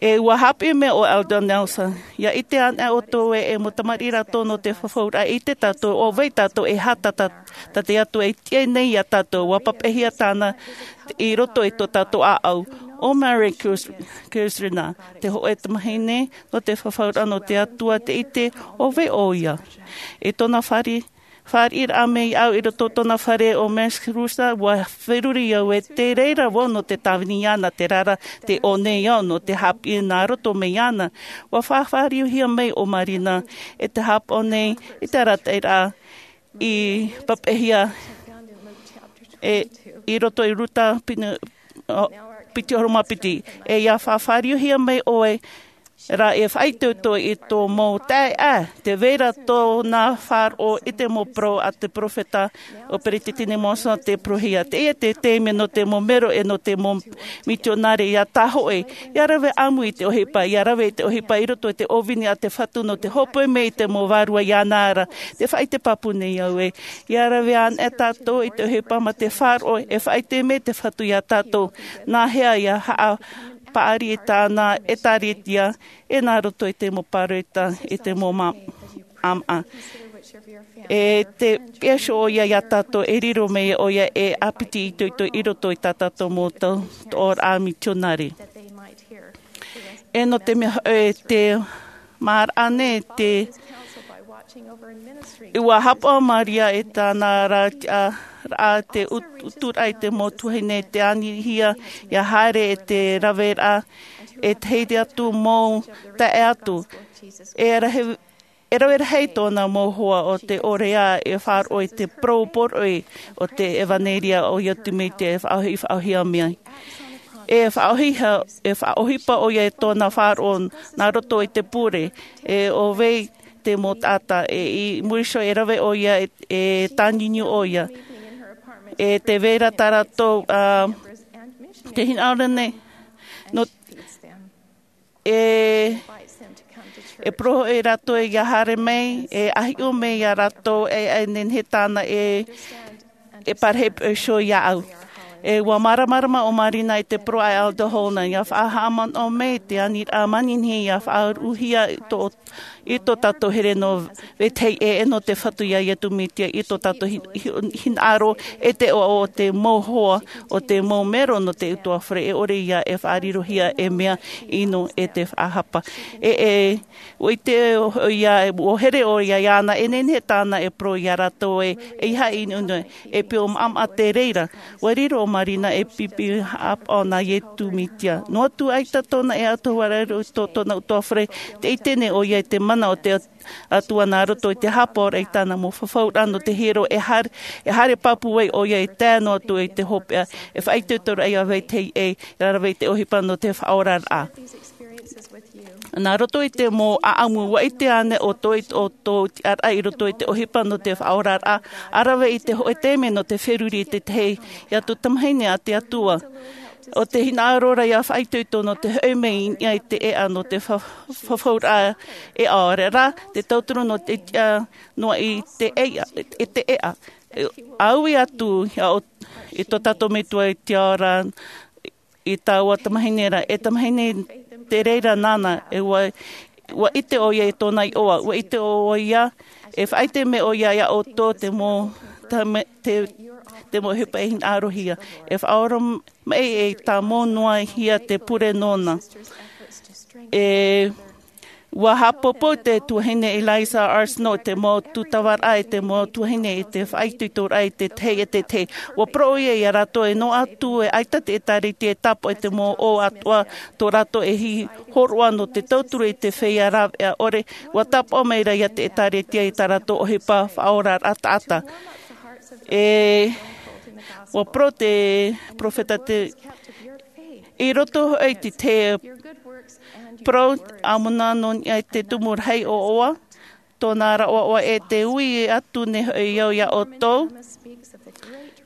E ʻua haʻapiʻi mai ʻo Elder Nelson, ʻia ʻite anaʻe ʻoutou ē, e mau tamariʻi rātou nō te fafauraʻa, ʻite tātou, ʻo vai tātou, e aha tā, tā, tā te Atua e tiʻa nei iā tātou, ʻua papaʻihia tāna i roto i tō tātou ʻāʻau. ʻO Mary Kers-, Kersrina, te hōʻē tamahine, nō te fafauraʻa nō te Atua, tē ʻite ʻo vai ʻoia. I tōna fāri-, fāriʻiraʻa mai iāʻu i roto tōna fare ʻo Max Rusa, ʻua feruri au ē, te reira vau nō te tāvini iāna, terā rā, tē ʻō nei au nō te haʻapiʻi nā roto mai iāna. ʻUa faʻafāriuhia mai ʻo Marina, e te hāpaʻo nei, i te arataʻiraʻa i papaʻihia, e, i roto i Ruta piti, o, piti ʻahuru mā piti. E ʻia faʻafāriuhia mai ʻoe, rā e faʻaitoito i tō mau taeaʻe, tē vai ra tōna faʻaroʻo i te mau parau a te peropheta ʻo Peresideni Monson tē parauhia. Teie te taime nō te mau mero e nō te mau mitionare ʻia tāhōʻē, ʻia rave ʻāmui i te ʻohipa, ʻia rave i te ʻohipa i roto i te ʻōvini a te Fatu nō te hōpoi mai i te mau vārua iāna ra. Tē faʻaʻite pāpū nei au ē, ʻia rave anaʻe tātou i te ʻohipa mā te faʻaroʻo, e faʻaʻite mai te Fatu iā tātou, nā hea ʻia haʻa- paʻari i tāna ʻĒtārētia, e nā roto i te mau pāroita, i te mau ma-, ʻāmaʻa. E te piha iho ʻoia iā tātou, e riro mai ʻoia e ʻāpiti itoito i roto i tā tātou mau tau, tō ʻōraʻa mitionare. E nō te mea, e te māraʻa nei, te, ʻua hāpaʻo Maria e tāna ra, a, raʻa te ut-, uturaʻa i te mau tuahine, te anihia, ʻia haere e te raveraʻa, e te heiti atu mau taeaʻe atu. E rahi, e rave rahi tōna mau hoa o te ʻorea e faʻaroʻo i te parau poroʻi o te ʻevanelia o Iesu Mesia e faʻaʻohi-, faʻaʻohipahia mai. E faʻaʻohipa, e faʻaʻohipa ʻoia e tōna faʻaroʻo nā roto i te pure, e ʻo vai te mau taʻata, e i muri iho e rave ʻoia, e, e tāniuniu ʻoia. E tē vai ra tā rātou, a, te hinaʻaro nei, nō, e, e parau hoʻi rātou ʻia haere mai, e ʻahiʻo mai iā rātou, e, e nehenehe tāna e, e parahi iho iāʻu. E ʻua māramarama ʻo Marina i te parau a Elder Holland, ʻia faʻahaʻamanaʻo mai te aniraʻa manihini ʻia faʻaruʻuhia i tō, i tō tātou here nō vetahi ʻē, e nō te Fatu iā Iesu Mesia, i tō tātou hi-, hi-, hinaʻaro, e te ʻoaʻoa o te mau hoa, o te mau mero nō te utuafare, e ʻore ia e faʻarirohia e mea ʻino e te faʻahapa. E, e, ʻUa ʻite ʻoia, ʻua here ʻoia iāna, e nehenehe tāna e parau iā rātou ē, ʻeiaha e ʻunuʻunu, e pio maʻamaʻa te reira. ʻUa riro ʻo Marina e pipi hāpaʻo nā Iesu Mesia. Noa atu ʻaita tōna e atoʻa riro tō tōna utuafare, tē ʻite nei ʻoia i te mana o te Atua nā roto i te hāpaʻoraʻa i tāna mau fafauraʻa nō te hiero e haere, e haere pāpū ai ʻoia e tae noa atu i te hopeʻa, e faʻaitoitoraʻa ia vetahi ʻē, e rave i te ʻohipa nō te faʻaoraraʻa. Nā roto i te mau ʻaʻamu, ʻua ʻite ānei ʻoutou i tō ʻoutou tiʻaraʻa i roto i te ʻohipa nō te faʻaoraraʻa, ʻa rave i te hōʻē taime nō te feruri i te tahi atu tamahine a te Atua? ʻO te hinaʻaro ra ia faʻaitoito nō te hoʻi mai i niʻa i te ʻēʻa nō te fa-, fafauraʻa e ʻaore rā, te tauturu nō te tiʻa noa i te ʻēʻa, i te ʻēʻa. ʻA ui atu, ia o, i tō tātou Metua i te ao ra, i taua tamahine ra, e tamahine te reira nāna, e ʻua, ʻua ʻite ʻoia i tōna iʻoa, ʻua ʻite ʻoia, e faʻaʻite mai ʻoia ia ʻoutou te mau, ta-, me-, te, te mau ʻohipa e hinaʻarohia, e faʻaora mai e tāmau noa hia te pure nōna. E ʻUa haʻapāpū te tuahine Eliza R. Snow te mau tūtavaraʻa e te mau tuahine i te faʻaitoitoraʻa i te tahi e te tahi. ʻUa parau ʻoia ia rātou e noa atu e ʻaita te ʻēkālesia e tāpaʻo i te mau ʻō atoʻa tō rātou e hōroʻa nō te tauturu i te feiā rāveʻa ʻore, ʻua tāpaʻo mai ra ia te ʻēkālesia i tā rātou ʻohipa faʻaoraraʻa taʻata. E ʻUa parau te peropheta te, i roto hoʻi i te parau ʻamona nō niʻa i te tumu rahi ʻoaʻoa, tōna ra ʻoaʻoa e te ui atu nei hoʻi au ia ʻoutou,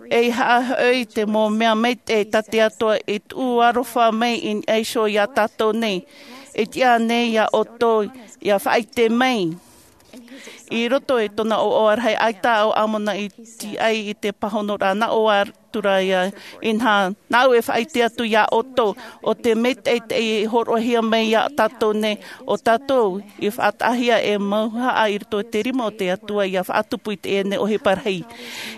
e ʻeiaha hoʻi te mau mea maitaʻi tā te Atua i tuʻu aroha mai i niʻa iho ia tātou nei, e tiʻa nei ia ʻoutou, ia faʻaʻite mai. I roto i tōna ʻoaʻoa rahi, ʻaita ʻo ʻAmona i tiʻai i te pāhonoraʻa, nā ʻō atu ra ia, inaha, nāʻu e faʻaʻite atu ia ʻoutou, ʻo te mea teitei i hōroʻahia mai ia tātou nei, ʻo tātou i faʻataʻahia e mauhaʻa i roto i te rima o te Atua ia faʻatupu i teie nei ʻohipa rahi.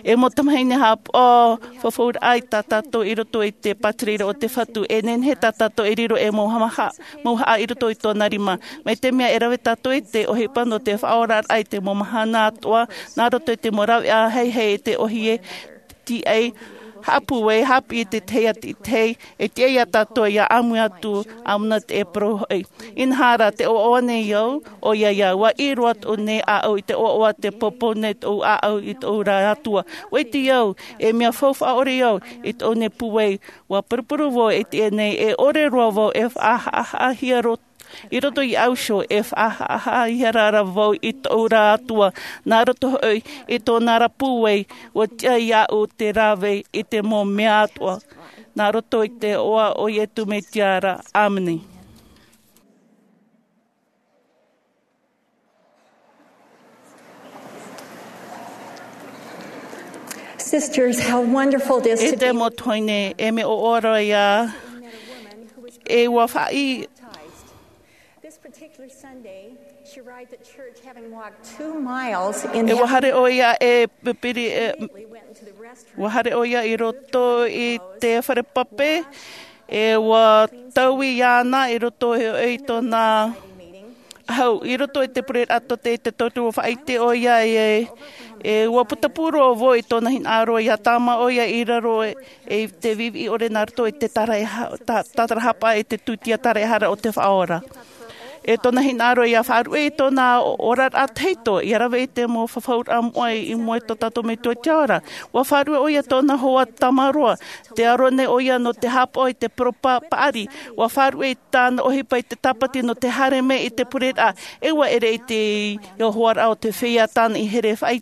E mau tamahine haʻapaʻo, fafauraʻa i tā tātou i roto i te pātireia o te Fatu, e nehenehe tā tātou e riro e mau hamaha, mauhaʻa i roto i tōna rima. Mai te mea e rave tātou i te ʻohipa nō te faʻaoraraʻa i te mau mahana atoʻa, nā roto i te mau rāveʻa haihai i te ʻōhie, tiʻai, haʻapūai, haʻapiʻi i te tahi atu i te tahi, e tiʻa ia tātou ia ʻāmui atu, ʻamona te e parau hoʻi. Inaha rā, tē ʻoaʻoa nei au, ʻoia ia, ʻua ʻī roa atu nei ʻāʻau i te ʻoaʻoa, tē poupou nei tōʻu ʻāʻau i tōʻu ra Atua. ʻUa ʻite au, e mea faufaʻa ʻore au, i tōʻu nei pūai, ʻua purupuru vau i teie nei, e ʻore roa vau e faʻahaʻahaʻahia ro-, i roto i ʻāʻau iho, e faʻahaʻahaʻahia ra vau i tōʻu ra Atua, nā roto hoʻi i tōna ra pūai, ʻua tiʻa iāʻu te rave i te mau mea atoʻa, nā roto i te iʻoa o Iesu Mesia ra. ʻĀmene. Sisters, how wonderful it is to E te be mau tuahine, e mea ʻoaʻoa roa ia, e ʻua faʻi-, This particular Sunday, she arrived at church having walked two miles in E ʻua haere ʻoia e pipiri, e, immediately went into the restroom. ʻUa haere ʻoia i roto i te fare pape, e ʻua taui iāna i roto i, i tōna hau, i roto i te pureraʻa tō te, te tauturu ʻua faʻaʻite ʻoia e, e ʻua putapū roa vau i tōna hinaʻaro ʻia tāmā ʻoia i raro e, e te viviʻi ʻore nā roto i te tāraeha-, tā-, tātarahapa i te tūtia tāraehara o te Faʻaora. E tōna hinaʻaro ʻia faʻaruʻe i tōna oraraʻa tahito, ʻia rave i te mau fafauraʻa moʻa i mua i tō tātou Metua i te Ao ra. ʻUa faʻaruʻe ʻoia tōna hoa tamaroa, tē aro nei ʻoia nō te haʻapaʻo i te parau pa-, paʻari, ʻua faʻaruʻe i tāna ʻohipa i te tāpati nō te haere mai i te pureraʻa, e ʻua ʻere i te, i te hoaraʻa o te feiā tāna i here faʻai-,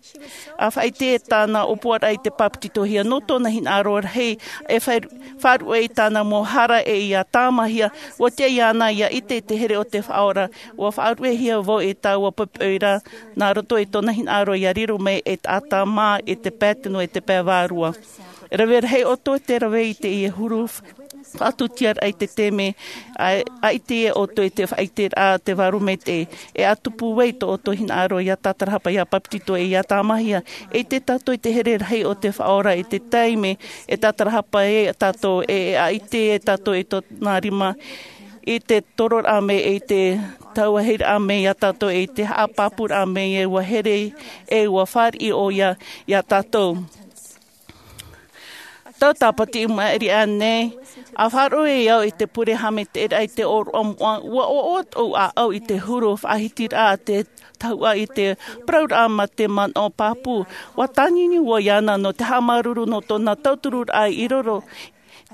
ʻa faʻaʻite e tāna ʻōpuaraʻa i te bāpetizohia nō tōna hinaʻaro rahi, e faʻa-, faʻaruʻe i tāna mau hara e ʻia tāmāhia, ʻua tiʻa iāna ʻia ʻite i te here o te Faʻaora, ʻua faʻaruʻehia vau e taua poʻipoʻi ra, nā roto i tōna hinaʻaro ʻia riro mai e taʻata mā i te pae tino, i te pae vārua. Rave rahi ʻoutou te rave i teie huru faʻatūtiaraʻa i te taime, ʻa, ʻa ʻite ʻoutou i te faʻaʻiteraʻa te Vārua Maitaʻi. E ʻa tupu ai tō ʻoutou hinaʻaro ʻia tātarahapa, ʻia bāpetizo, e ʻia tāmāhia. E ʻite tātou i te here rahi o te Faʻaora i te taime e tātarahapa ai tātou, e, e ʻa ʻite ai tātou i tōna rima, i te tororaʻa mai, i te tauahiraʻa mai ia tātou, i te haʻapāpūraʻa mai, e ʻua here, e ʻua fāriʻi ʻoia ia tātou. Tau tāpati i maʻiri aʻe nei, A faʻaroʻo e au i te pure haʻamaitaʻiraʻa i te ʻōroʻa moʻa, ua ʻoaʻoa tōʻu ʻāʻau i te huru faʻahitiraʻa a te tahuʻa i te parauraʻa ma te manaʻo pāpū. Ua tāniuniu ʻoe iāna nō te haʻamāuruuru nō tōna tautururaʻa i riro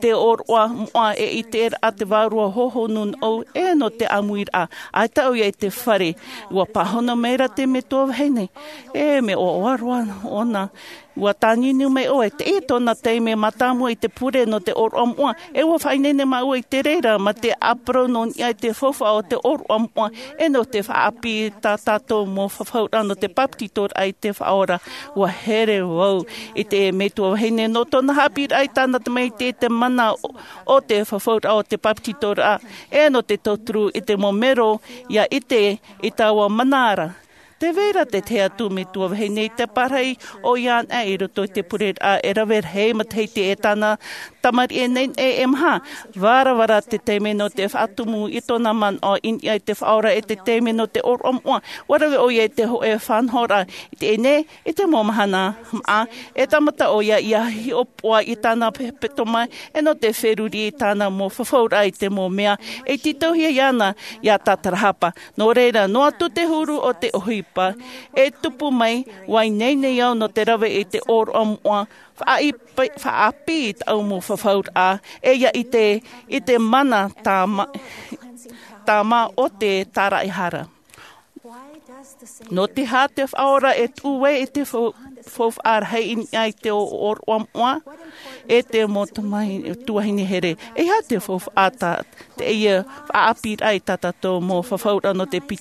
te ʻōroʻa moʻa e ʻiteraʻa te vārua hohonu noʻu e nō te ʻāmuiraʻa. ʻAita ʻoia i te fare, ua pāhono maira te metua vahine. E mea ʻoaʻoa roa ʻōna. Ua tāniuniu mai ʻoe, teie tōna taime mātāmua i te pure nō te ʻōroʻa moʻa, e ua faʻaineine māua i te reira ma te ʻāparau nō niʻa i te faufaʻa o te ʻōroʻa moʻa, e nō te faʻaʻāpī tā tātou mau fafauraʻa nō te bāpetizoraʻa i te Faʻaora. Ua here vau i te metua vahine nō tōna haʻapiʻiraʻa i tāna tamaiti i te mana o, o te fafauraʻa o te bāpetizoraʻa, e nō te tauturu i te mau mero ia ʻite i taua mana ra. Tē vai ra te tahi atu metua vahine i te parahi ʻoia anaʻe i roto i te pureraʻa e rave rahi matahiti e tāna tamariʻi e nehenehe e maha. Varavara te taime nō te faʻatumu i tōna manaʻo i niʻa i te Faʻaora e te taime nō te ʻōroʻa moʻa. Ua rave ʻoia i te hōʻē faʻanahoraʻa i teie nei, i te mau mahana maʻa, e tāmata ʻoia ia hiʻopoʻa i tāna hepetoma, e nō te feruri i tāna mau fafauraʻa i te mau mea e tītauhia iāna ia tātarahapa. Nō reira, noa atu te huru o te ʻohipa e tupu mai, ua ineine au nō te rave i te ʻōroʻa moʻa, faʻaʻāpī, faʻaʻāpī i tāʻu mau fafauraʻa, e ia ʻite i te mana tāmā, tāmā o te tāraʻehara. Nō te aha te Faʻaora e tuʻu ai i te fau-, faufaʻa rahi i niʻa i te ʻō-, ʻōroʻa moʻa, e te mau tamariʻi tuahine here? E aha te faufaʻa tā teie faʻaʻāpīraʻa i tā tātou mau fafauraʻa nō te pi-,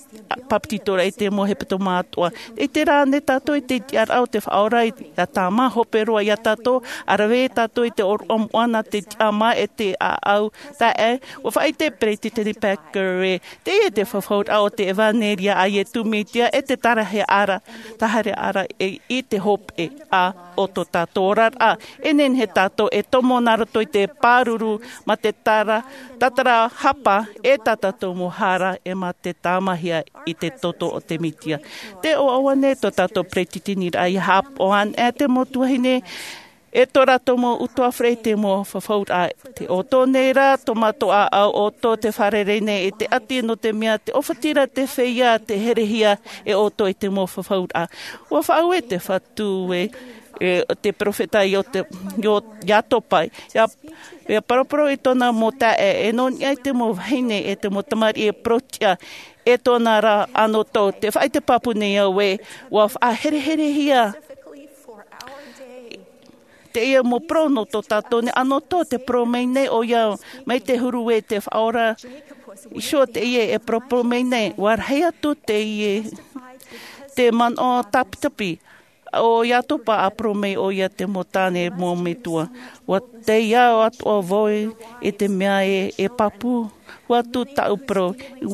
bāpetizoraʻa i te mau hepetoma atoʻa? E ʻite rā ānei tātou i te tiʻaraʻa o te Faʻaora i, ia tāmā hope roa iā tātou, a rave tātou i te ʻōroʻa moʻa nā te tiʻamā e te ʻāʻau taeaʻe? Ua faʻaʻite Peresideni Packer ē, teie te fafauraʻa o te ʻevanelia a Iesu Mesia e te tāraʻehara, tāraʻehara e i te hopeʻa o tō tātou oraraʻa. E nehenehe tātou e tomo nā roto i te pāruru ma te tāra-, tātarahapa e tā tātou mau hara e mā te tāmāhia i te toto o te Mesia. Tē ʻoaʻoa nei tō tātou peretiteniraʻa ia haʻapaʻo anaʻe te mau tuahine e tō rātou mau ʻutuāfare i te mau fafauraʻa. Te ʻoutou nei rā, tō mātou ʻāʻau ʻoutou tē fārerei nei i te ʻati, nō te mea te ʻōfatiraʻa te feiā, tē herehia e ʻoutou i te mau fafauraʻa. Ua faʻaue te Fatu ē, e te perofeta Io-, Io-, Iatopa, ia, ia paraparau i tōna mau taeaʻe, e nō niʻa i te mau vahine, e te mau tamariʻi e parau tiʻa, e tōna rā anotau. Tē faʻaʻite pāpū nei au ē, ua faʻahereherehia teie mau parau nō tō tātou nei anotau, tē parau mai nei ʻoia, mai te huru ē te Faʻaora Iēsu teie e paraparau mai nei, ua rahi atu teie, te manaʻo tāpitapi o Iatopa a parau mai ʻoia te mau tāne mau metua. Ua taiʻo atoʻa vau i te mea ē, e pāpū atu tāʻu parau. I,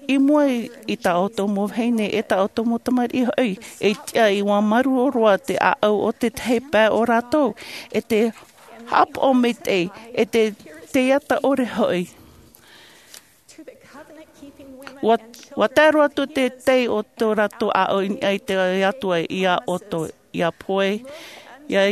i mua i tā ʻoutou mau vahine, e tā ʻoutou mau tamariʻi hoʻi, e tiʻa ʻia māuruuru roa te ʻāʻau o te tahi pae o rātou, e te haʻapaʻo maitaʻi, e te, te ata ʻore hoʻi. Ua, ua tae roa atu te tei o tō rātou ʻāʻau i niʻa i te Atua iā ʻoutou, iā Poe, iā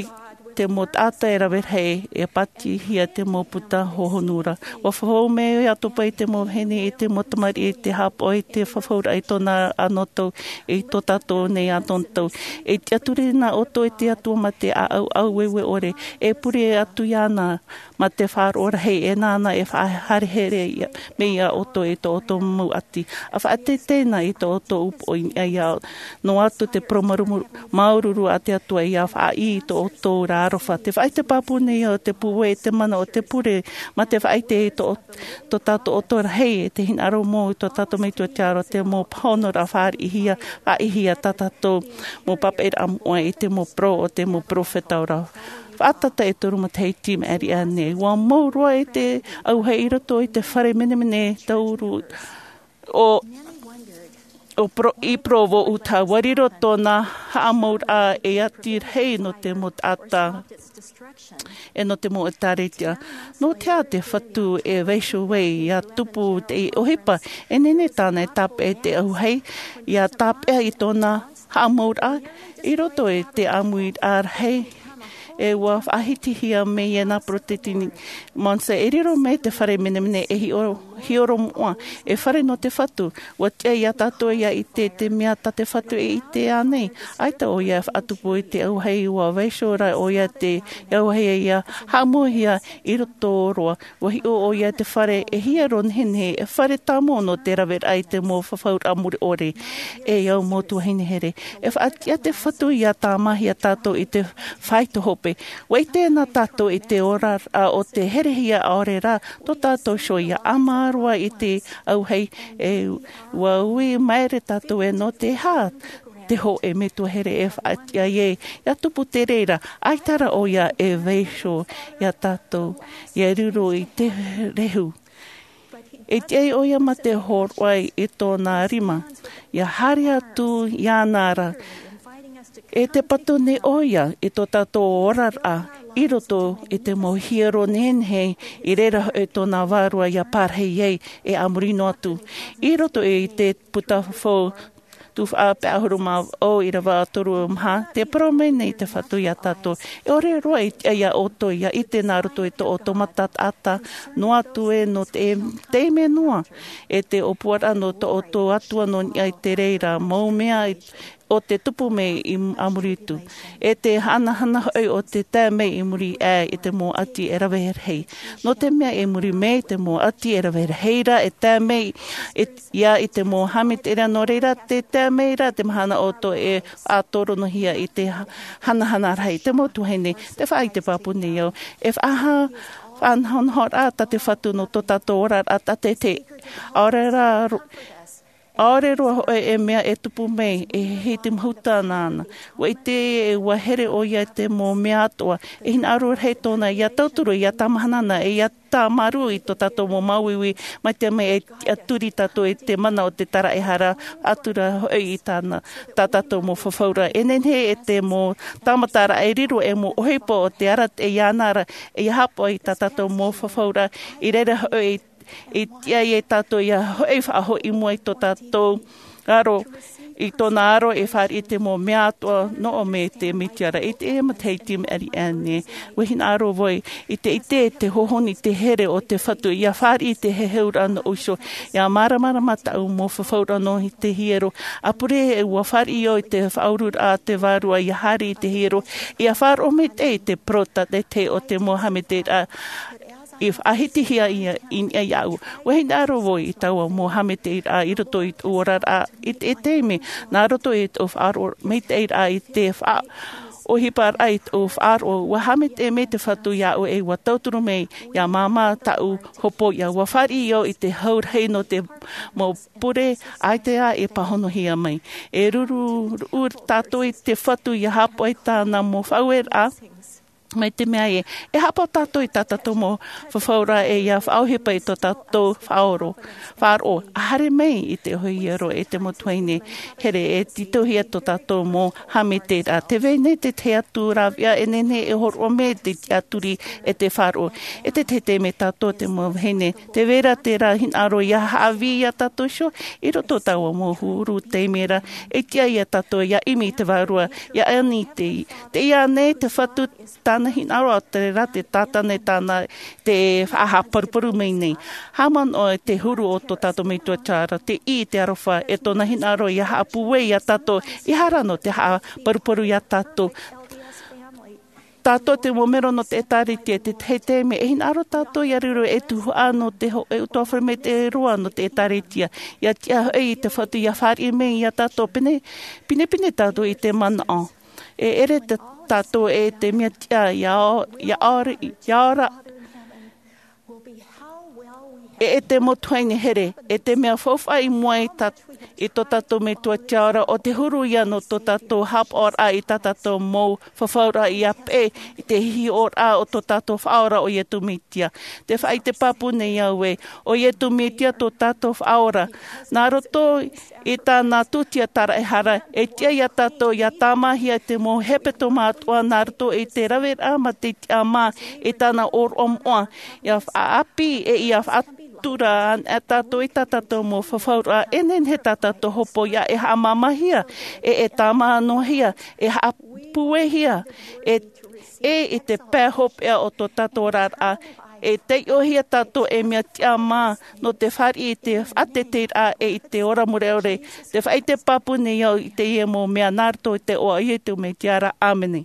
te mau taʻata e rave rahi, e pātihia te mau puta hohonu ra. Ua fafau mai Iatopa i te mau vahine, i te mau tamariʻi, i te haʻapaʻo i te fafauraʻa i tōna anotau, i tō tātou nei anotau. E tiʻaturi na ʻoutou i te Atua ma te ʻāʻau ʻaueue ʻore, e pure atu iāna, ma te faʻaroʻo rahi, e nāna e faʻaherehere ia, mai iā ʻoutou i tō ʻoutou mau ʻati. ʻA faʻateitei na i tō ʻoutou upoʻo i niʻa iā, noa atu te parau māuruuru, māuruuru a te Atua ʻia faʻaʻī i tō ʻoutou ra aroha. Tē faʻaʻite pāpū nei au te pūai, te mana o te pure, ma te faʻaʻite i tō, tō tātou ʻoutou rahi, e te hinaʻaro mau i tō tātou Metua te Atua, te mau pāhonoraʻa fāriʻihia, faʻaʻīhia tā tātou mau pāpaʻiraʻa moʻa i te mau parau o te mau perofeta ora. Faʻataʻa e toru matahiti maʻiri aʻe nei, ua mau roa i te auahi i roto i te fare menemene taoru o, o Pro-, i Provo, Utah. Ua riro tōna haʻamauraʻa e ʻati rahi nō te mau taʻata, e nō te mau ʻētārētia. Nō te aha te Fatu e vaiiho ai ʻia tupu te ʻohipa? E nehenehe tāna e tāpeʻa i te auahi, ʻia tāpeʻa i tōna haʻamauraʻa, i roto i te ʻāmuiraʻa rahi, E ua faʻahitihia mai e nā Peresideni Monson, e riro mai te fare menemene e hiʻo-, hiʻoromoʻa, e fare nō te Fatu. Ua tiʻa iā tātou ia ʻite te mea tā te Fatu e ʻite ānei. ʻAita ʻoia e faʻatupu i te auahi, ua vaiiho rā ʻoia te auahi ia haʻamauhia i roto roa. Ua hiʻo ʻoia te fare e hiero nehenehe, e fare tāmau nō te raveraʻa i te mau fafauraʻa mure ʻore. E au mau tuahine here, e faʻatiʻa te Fatu ia tāmāhia tātou i te faito hope. Ua ʻite na tātou i te oraraʻa o te herehia, ʻaore rā tō tātou iho ia ʻāmā roa i te auahi, e ua ui maere tātou e nō te aha te hōʻē metua here e faʻatiʻa ai, ia tupu te reira, ʻaita rā ʻoia e vaiiho iā tātou, ia riro i te rehu. E tiʻa ʻoia mā te hōroʻa i tōna rima, ia haere atu iāna ra. E tē patu nei ʻoia i tō tātou oraraʻa i roto i te mau hiero nehenehe, i reira hoʻi tōna vārua ia parahi ai, e a muri noa atu. I roto i te puta fou Tuhaʻa pae ʻahuru mā vaʻu, ʻīrava toru maha, tē parau mai nei te Fatu iā tātou: E ʻore roa i tiʻa iā ʻoutou ia ʻite nā roto i tō ʻoutou mata taʻata noa atu ē nō te, te mea noa, e te ʻōpuaraʻa nō tō ʻoutou Atua nō niʻa i te reira mau mea i, o te tupu mai i a muri atu. E te hanahana hoʻi o te tae mai i muri aʻe i te mau ʻati e rave rahi. Nō te mea i muri mai te mau ʻati e rave rahi ra, e tae mai i, ia i te mau haʻamaitaʻiraʻa, nō reira te tae mai ra te mahana ʻoutou e faʻatoronohia i te ha-, hanahana rahi. Te mau tuahine, tē faʻaʻite pāpū nei au, e faʻaha-, faʻanahonahoraʻa tā te Fatu nō tō tātou oraraʻa tātaʻitahi. ʻAore rā ro-, ʻaore roa hoʻi e mea e tupu mai, e hiti mahuta nāna. Ua ʻite, e ua here ʻoia i te mau mea atoʻa. E hinaʻaro rahi tōna ia tauturu, ia tāmāhana na, e ia tāmarū i tō tātou mau māuiui, mai te mea e tiʻaturi tātou i te mana o te taraehara, ʻatura hoʻi i tāna, tā tātou mau fafauraʻa. E nehenehe e te mau tāmataraʻa e riro ei mau ʻohipa o te arataʻi iāna ra, e ia haʻapaʻo i tā tātou mau fafauraʻa, i reira hoʻi i, i tiʻa ai tātou ia hoʻi faʻahoʻi i mua i tō tātou aro, i tōna aro e fāriʻi i te mau mea atoʻa nō ʻō mai te Mesia ra. I teie matahiti maʻiri aʻe nei, ua hinaʻaro vau i te ʻite i te hohonu i te here o te Fatu, ia fāriʻi i te heheuraʻa nōʻu iho, ia māramarama tāʻu mau fafauraʻa nō te hiero. ʻA pure e ua fāriʻi au i te faʻaururaʻa a te Vārua, ia haere i te hiero, ia faʻaroʻo maitaʻi i te parau tātaʻitahi o te mau haʻamaitaʻiraʻa i faʻahitihia ia i niʻa iāʻu. Ua hinaʻaro vau i taua mau haʻamaitaʻiraʻa i roto i tōʻu oraraʻa i te, i te taime, nā roto i tōʻu faʻaroʻo maitaʻiraʻa i te faʻaʻohiparaʻa i tōʻu faʻaroʻo, ua haʻamaitaʻi mai te Fatu iāʻu e ua tauturu mai ia māmā tāʻu hopoiʻa. Ua fāriʻi au i te hau rahi nō te mau pure, ʻaita ā e pāhonohia mai. E ruru, ruru tātou i te Fatu ia haʻapaʻo i tāna mau faʻaueraʻa. Mai te mea ē, e haʻapaʻo tātou i tā tātou mau fafauraʻa, e ia faʻaʻohipa i tō tātou faʻaroʻo, faʻaroʻo. ʻA haere mai i te hiero, e te mau tuahine here, e tītauhia tō tātou mau haʻamaitaʻiraʻa. Tē vai nei te tahi atu rāveʻa e nehenehe e hōroʻa mai te tiʻaturi e te faʻaroʻo. E te tahi taime tātou te mau vahine, tē vai ra terā hinaʻaro ia haʻavī iā tātou iho, i roto i taua mau huru taime ra, e tiʻa iā tātou ia ʻimi i te Vārua, ia ani te, tei iā nei te Fatu tāna hinaʻaro, ʻaore rā te tātane tāna te faʻahaʻaparuparu mai nei. Haʻamanaʻo i te huru o tō tātou Metua Tiʻa ra, tei ʻī i te aroha, e tōna hinaʻaro ia haʻapūai iā tātou, ʻeiaha rā nō te haʻaparuparu iā tātou. Tātou te mau melo nō te ʻĒtārētia, te tahi taime e hinaʻaro tātou ia riro ei tuhaʻa nō te hōʻē ʻutuāfare maitaʻi roa nō te ʻĒtārētia. Ia tiʻa hoʻi i te Fatu ia fāriʻi mai iā tātou, pine, pinepine tātou i te manaʻo. E ʻere tā-, tātou e te mea tiʻa, ia ʻo-, ia ʻore, ia ora. E, e te mau tuahine here, e te mea faufaʻa i mua i tā-, i tō tātou Metua Tiʻa ra, ʻo te huru ia nō tō tātou haʻapaʻoraʻa i tā tātou mau fafauraʻa ia peʻe i te hiʻoraʻa o tō tātou Faʻaora ʻo Iesu Mesia. Tē faʻaʻite pāpū nei au ē, ʻo Iesu Mesia tō tātou Faʻaora. Nā roto i tāna tūtia taraehara, e tiʻa iā tātou ia tāmāhia te mau hepetoma atoʻa nā roto i te raveraʻa mā te tiʻamā i tāna ʻōroʻa moʻa, ia faʻaʻāpī e ia faʻatura anaʻe tātou i tā tātou mau fafauraʻa, e nehenehe tā tātou hopoiʻa e haʻamāmāhia, e, e tāmā noa hia, e haʻa- Puehia e, e i te pae hopeʻa o tō tātou oraraʻa, e taiʻohia tātou e mea tiʻamā nō te fāriʻi i te faʻateiteiraʻa e i te ora mure ʻore. Te faʻaʻite pāpū nei au i teie mau mea nā roto i te iʻoa o Iesu Mesia. ʻĀmene.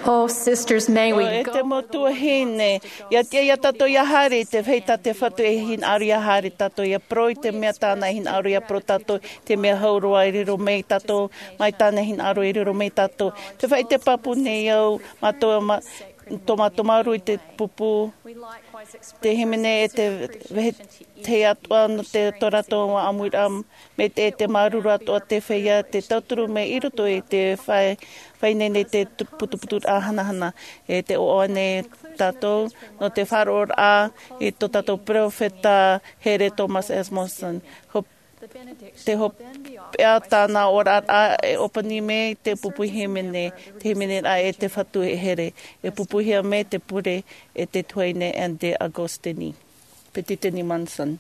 Oh, sisters, may we E te mau tuahine, ʻia tiʻa ia tātou ʻia haere i te feiā tā te Fatu e hinaʻaro ʻia haere, tātou ʻia parau i te mea tāna e hinaʻaro ʻia parau, tātou te mea hau roa e riro mai tātou, mai tāna e hinaʻaro e riro mai tātou. Te faʻaʻite pāpū nei au, mātou ma-, tō mātou māuruuru i te pupu. Te hīmene e te vehete atoʻa nō te tō rātou ʻāmuiraʻa, mai te, te māuruuru atoʻa te feiā, te tauturu mai i roto i te fai, fai nei nei te tu-, putuputuraʻa hanahana, e te ʻoaʻoa nei tātou, nō te faʻaroʻoraʻa i tō tātou peropheta here Thomas S. Monson. Ho-, te hopeʻa tāna oraraʻa e ʻōpani mai te pupu hīmene, te hīmeneraʻa e te Fatu e here, e pupuhia mai te pure e te tuahine Anne Agostini. Peretiteni Monson.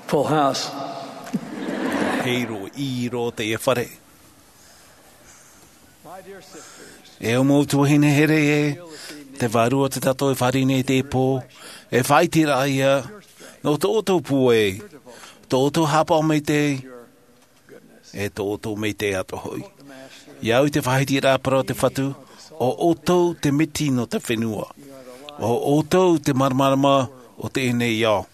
Full house. Hei roa, i roa teie fare. E au mau tuahine here e, te vārua o te tātou e fāriʻi nei i teie pō, e faʻaʻiteraʻa ia, nō tō ʻoutou pūai, tō ʻoutou haʻapaʻo maitaʻi, e tō ʻoutou maitaʻi atoʻa hoʻi. I au i te faʻahitiraʻa parau o te Fatu, ʻo ʻoutou te miti nō te fenua. ʻO ʻoutou te māramarama o teie nei ao.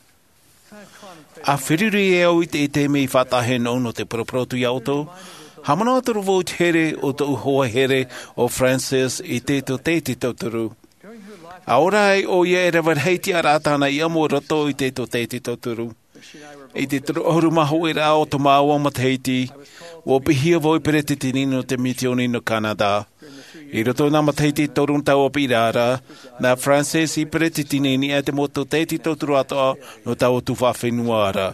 ʻA feruri e au i te, i te mea i faʻataʻa nō, nō te paraparau atu iā ʻoutou. Haʻamanaʻo atoʻa vau i te here o tōʻu hoa here ʻo Frances i te tōtaiete tauturu. ʻA ora ai ʻoia e rave rahi tiʻaraʻa tāna i ʻamo i roto i te tōtaiete tauturu. I te toru ʻahuru mā hōʻē raʻa o tō māua matahiti, ʻua piʻihia vau ei peretiteni nō te misiōni nō Canada. I roto i nā matahiti toru nō taua piʻiraʻa ra, nā Frances ei peretiteni i niʻa i te mau tōtaiete tauturu atoʻa nō taua tuhaʻa fenua ra.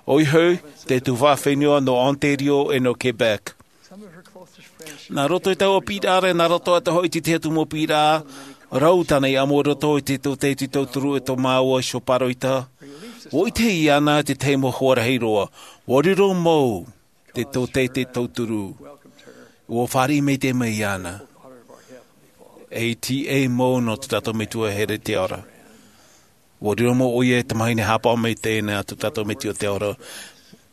ʻOia hoʻi, te tuhaʻa fenua nō Ontario e nō Quebec. Nā roto i taua piʻiraʻa ra, nā roto atoʻa hoʻi i te tahi atu mau piʻiraʻa, rau tāna i ʻamo i roto i te tōtaiete tauturu e tō māua iho pāroita. ʻUa ʻite iāna te tahi mau huarahi roa. ʻUa riro mau te tōtaiete tauturu. ʻUa fāriʻi maitaʻi mai iāna. E tiʻa mau nō tō tātou Metua here te ao ra. ʻUa riro mau ʻoia e tamahine haʻapaʻo maitaʻi nā tō tātou Metua te ao ra.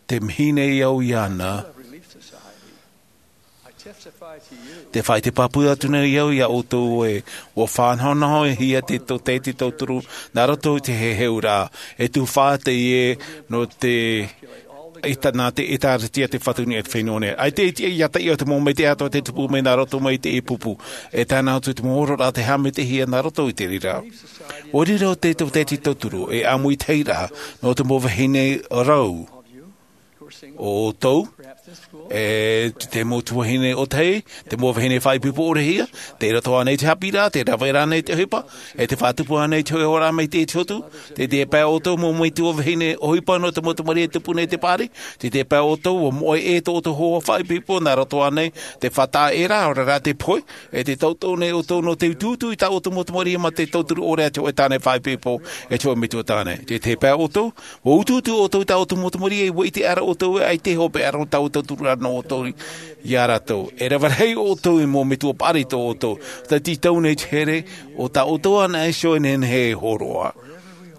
Te mahana i au iāna. Tē faʻaʻite pāpū atu nei au iā ʻoutou ē, ʻua faʻanahonahohia te tōtaiete tauturu, nā roto i te heheuraʻa, e tuhaʻa teie nō te ʻEta-, nā te ʻĒtārētia te Fatu i niʻa i te fenua nei. ʻAita e tiʻa ia taʻi ʻo te mau maitaʻi atoʻa tē tupu mai nā roto mai i te pupu. E tae noa atu te mau oraraʻa tē haʻamaitaʻihia nā roto i te reira. ʻUa riro te tōtaiete tauturu, e ʻāmui teie ra, nō te mau vahine rau. ʻO ʻoutou, e te mau tuahine ʻōtahi, te mau vahine faʻaipoipo ʻore hia, tē roto ānei te haʻapiʻiraʻa, tē rave ra ānei te ʻohipa, e tē faʻatupu ānei te hōʻē oraraʻa mai te Hotu, tē tiʻa paʻi ʻoutou mau metua vahine ʻohipa nō te mau tamariʻi e tupu nei i te paʻari, tē tiʻa paʻi ʻoutou ʻua moʻe ʻē tō ʻoutou hoa faʻaipoipo nā roto ānei, tē faʻataʻa ʻē ra, ʻaore rā tē pohe, e tē tauturu nei ʻoutou nō te utuutu i tā ʻoutou mau tamariʻi mā te tauturu ʻore a te hōʻē tāne faʻaipoipo, e te hōʻē metua tāne. Tē tiʻa paʻi ʻoutou, ʻua utuutu ʻoutou i tā ʻoutou mau tamariʻi, ʻua ʻite ʻara ʻoutou ē ʻaita e hopeʻa ra nō taua tauturu ra nō ʻoutou iā rātou. E rave rahi ʻoutou i mau metua paʻari tō ʻoutou. Tē tītau nei te here, ʻo tā ʻoutou anaʻe iho e nehenehe e hōroʻa.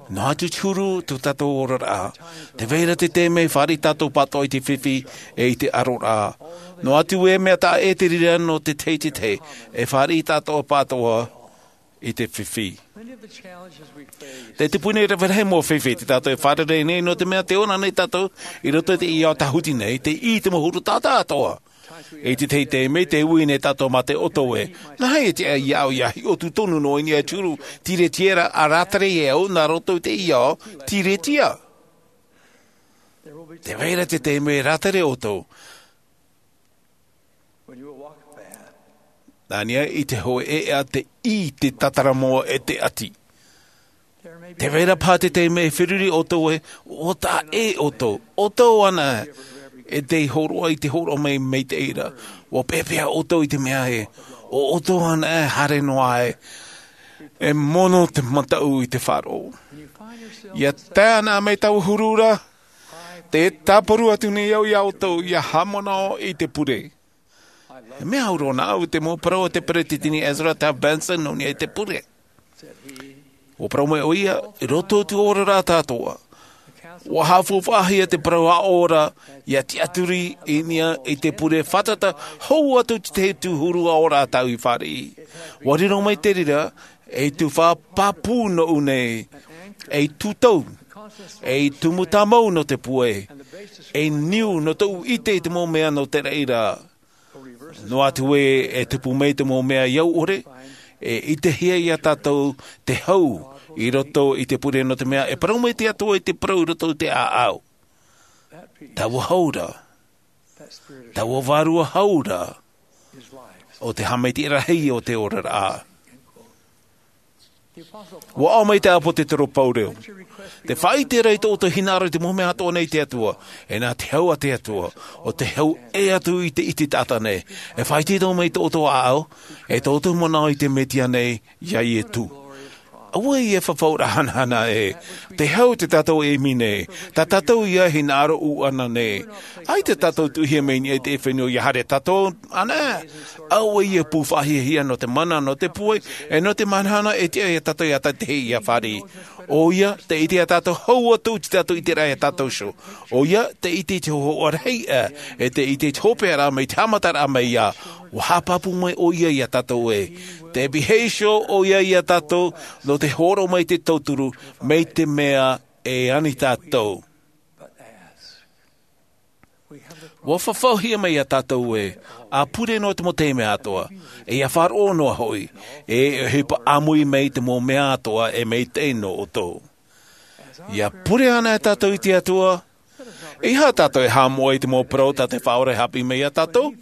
Noa atu te huru tō tātou oraraʻa. Tē vai ra te taime e fāriʻi tātou pātoʻa i te fifi e i te ʻaroraʻa. Noa atu e mea taʻa ʻē te reira nō te tahi i te tahi, e fāriʻi tātou pātoʻa i te fifi. Tē tupu nei rave rahi mau fifi tā tātou e fārerei nei, nō te mea tē ora nei tātou i roto i teie ao tāhuti nei, tē ʻī te mau huru taʻata atoʻa. I te tahi taime tē ui nei tātou mā te ʻoto ē, nā hea e tiʻa iā ʻoe ia hiʻo tonu noa i niʻa i te huru tīretia ra, ʻa rātere e au nā roto i teie ao tīretia. Tē vai ra te taime e rātere ʻoutou. Nā niʻa i te hōʻē ʻēʻa, te ʻī, te tātaramo e te ʻati. Tē vai ra paha te taime e feruri ʻoutou ē, ʻua taʻa ʻē ʻoutou, ʻoutou anaʻe, e tē hōroʻa i te hōroʻa mai, mai te reira. ʻUa peapea ʻoutou i te mea ē, ʻo ʻoutou anaʻe e haere noa aʻe, e mono te mataʻu i te faʻaroʻo. ʻIa tae anaʻe mai taua huru ra, tē tāparu atu nei au iā ʻoutou, ʻia haʻamanaʻo i te pure. E mea au roa nāʻu i te mau parau a te Peretiteni Ezra Taft Benson nō niʻa i te pure. ʻUa parau mai ʻoia, i roto i te oraraʻa atoʻa, ʻua haʻafaufaʻahia te parau aʻo ra ʻia tiʻaturi i niʻa i te pure fātata hou atu i te tahi atu huru aʻoraʻa tāʻu i fāriʻi. ʻUa riro mai te reira ei tuhaʻa pāpū nōʻu nei, ei tūtau, ei tumu tāmau nō te pūai, ei niu nō tōʻu ʻite i te mau mea nō te reira. Noa atu ē e tupu mai te mau mea i au ʻore, e ʻitehia iā tātou te hau i roto i te pure, nō te mea e parau mai te Atua i te parau i roto i te ʻāʻau. Taua hau ra, taua vārua hau ra, ʻo te haʻamaitaʻi rahi o te oraraʻa. Ua ʻaʻo mai te ʻāpōsetolo Paulo, tē faʻaʻite ra i tō ʻoutou hinaʻaro i te mau mea atoʻa nei te Atua, e nā te hau a te Atua, ʻo tē hau ʻē atu i te ʻiti taʻata nei. E faʻaʻite mai tō ʻoutou ʻāʻau, e tō ʻoutou manaʻo i te Mesia nei, iā Iesu. ʻAuē e fafauraʻa hanahana ē, te hau tā tātou e ʻimi nei, tā tātou ia hinaʻaro ʻūʻana nei. ʻAita tātou tuʻuhia mai i niʻa i te fenua, ʻia haere tātou ānei. ʻAuē e pū faʻahiahia nō te mana, nō te pūai, e nō te mahana e tiʻa iā tātou ʻia tae i te fāriʻi. ʻOia, tē ʻite iā tātou hau atu te tātou ʻiteraʻa iā tātou iho. ʻOia, tē ʻite i te hōhoʻa rahi, e tē ʻite i te hopeʻaraʻa mai te haʻamataraʻa mai iā. Ua haʻapāpū mai ʻoia iā tātou ē, tē pihaʻi iho ʻoia iā tātou nō te hōroʻa mai te tauturu, mai te mea e ani tātou. Ua fafauhia mai iā tātou ē, ʻa pure noa te mau taime atoʻa, e ʻia faʻaroʻo noa hoʻi, e ʻohipa ʻāmui mai te mau mea atoʻa e maitaʻi nō ʻoutou. ʻIa pure ānei tātou i te Atua, ʻeiaha tātou e haʻamoʻa i te mau parau tā te Faʻaora e haʻapiʻi mai iā tātou?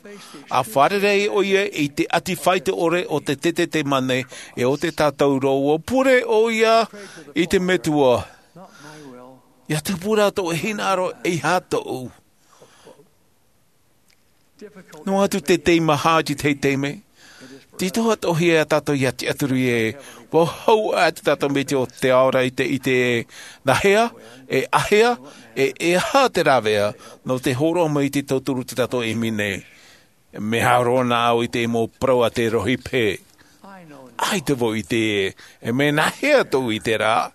ʻA fārerei ʻoia i te ʻati faʻaitoito ʻore o te tete te mane, e o te tātauro, ʻua pure ʻoia i te Metua, ʻia tupu rā tō ʻoe hinaʻaro, ʻeiaha tōʻu. Noa atu te taime maha i te tahi taime, tītau atoʻa hia iā tātou ʻia tiʻaturi ē, ʻua hau ā te tātou Metua o te ao ra i te ʻite ē, nā hea, e āhea, e ʻeiaha te rāveʻa nō te hōroʻa mai i te tauturu tā tātou e ʻimi nei. Mea haere roa na au i te mau parau a te rohipe. ʻAita vau i ʻite ē, e mea nā hea tōʻu ʻiteraʻa?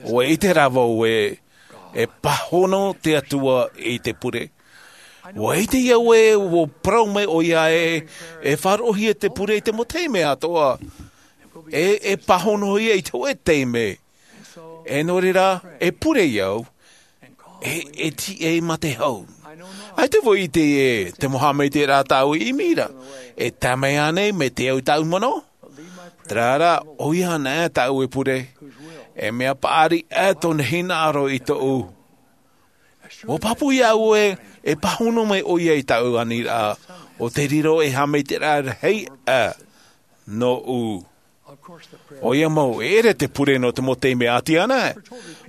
ʻUa ʻite rā vau ē, e pāhono te Atua i te pure. ʻUa ʻite au ē, ʻua parau mai ʻoia ē, e faʻaroʻohia te pure i te mau taime atoʻa. E, e pāhonohia i te hōʻē taime. E nō reira, e pure au, e, e tiʻa mā te hau. ʻAita vau i ʻite ē, te mau haʻamaitaʻiraʻa tāʻu i ʻimi ra, e tae mai ānei mai te au i tāʻu manaʻo? Terā rā, ʻoia ānei tāʻu e pure, e mea paʻari ā tōna hinaʻaro i tōʻu. ʻUa pāpū iā ʻu ē, e pāhono mai ʻoia i tāʻu aniraʻa, ʻo te riro e haʻamaitaʻiraʻa rahi ā nōʻu. ʻOia mau, e ʻere te pure nō te mau taime ʻati ānei.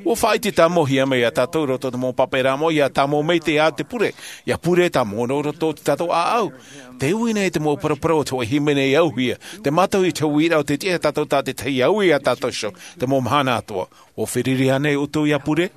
ʻUa faʻaʻite tāmauhia mai iā tātou i roto i te mau pāpaʻiraʻa moʻa, ʻia tāmau mai te ā te pure, ʻia pure tāmau nō roto i tō tātou ʻāʻau. Tē ui nei te mau paraparau o te hōʻē hīmene ʻia auhia, te mātau i te uiraʻa o te tiʻa iā tātou tā te tahi ʻia ui iā tātou iho, te mau mahana atoʻa. ʻUa feruri ānei ʻoutou ʻia pure?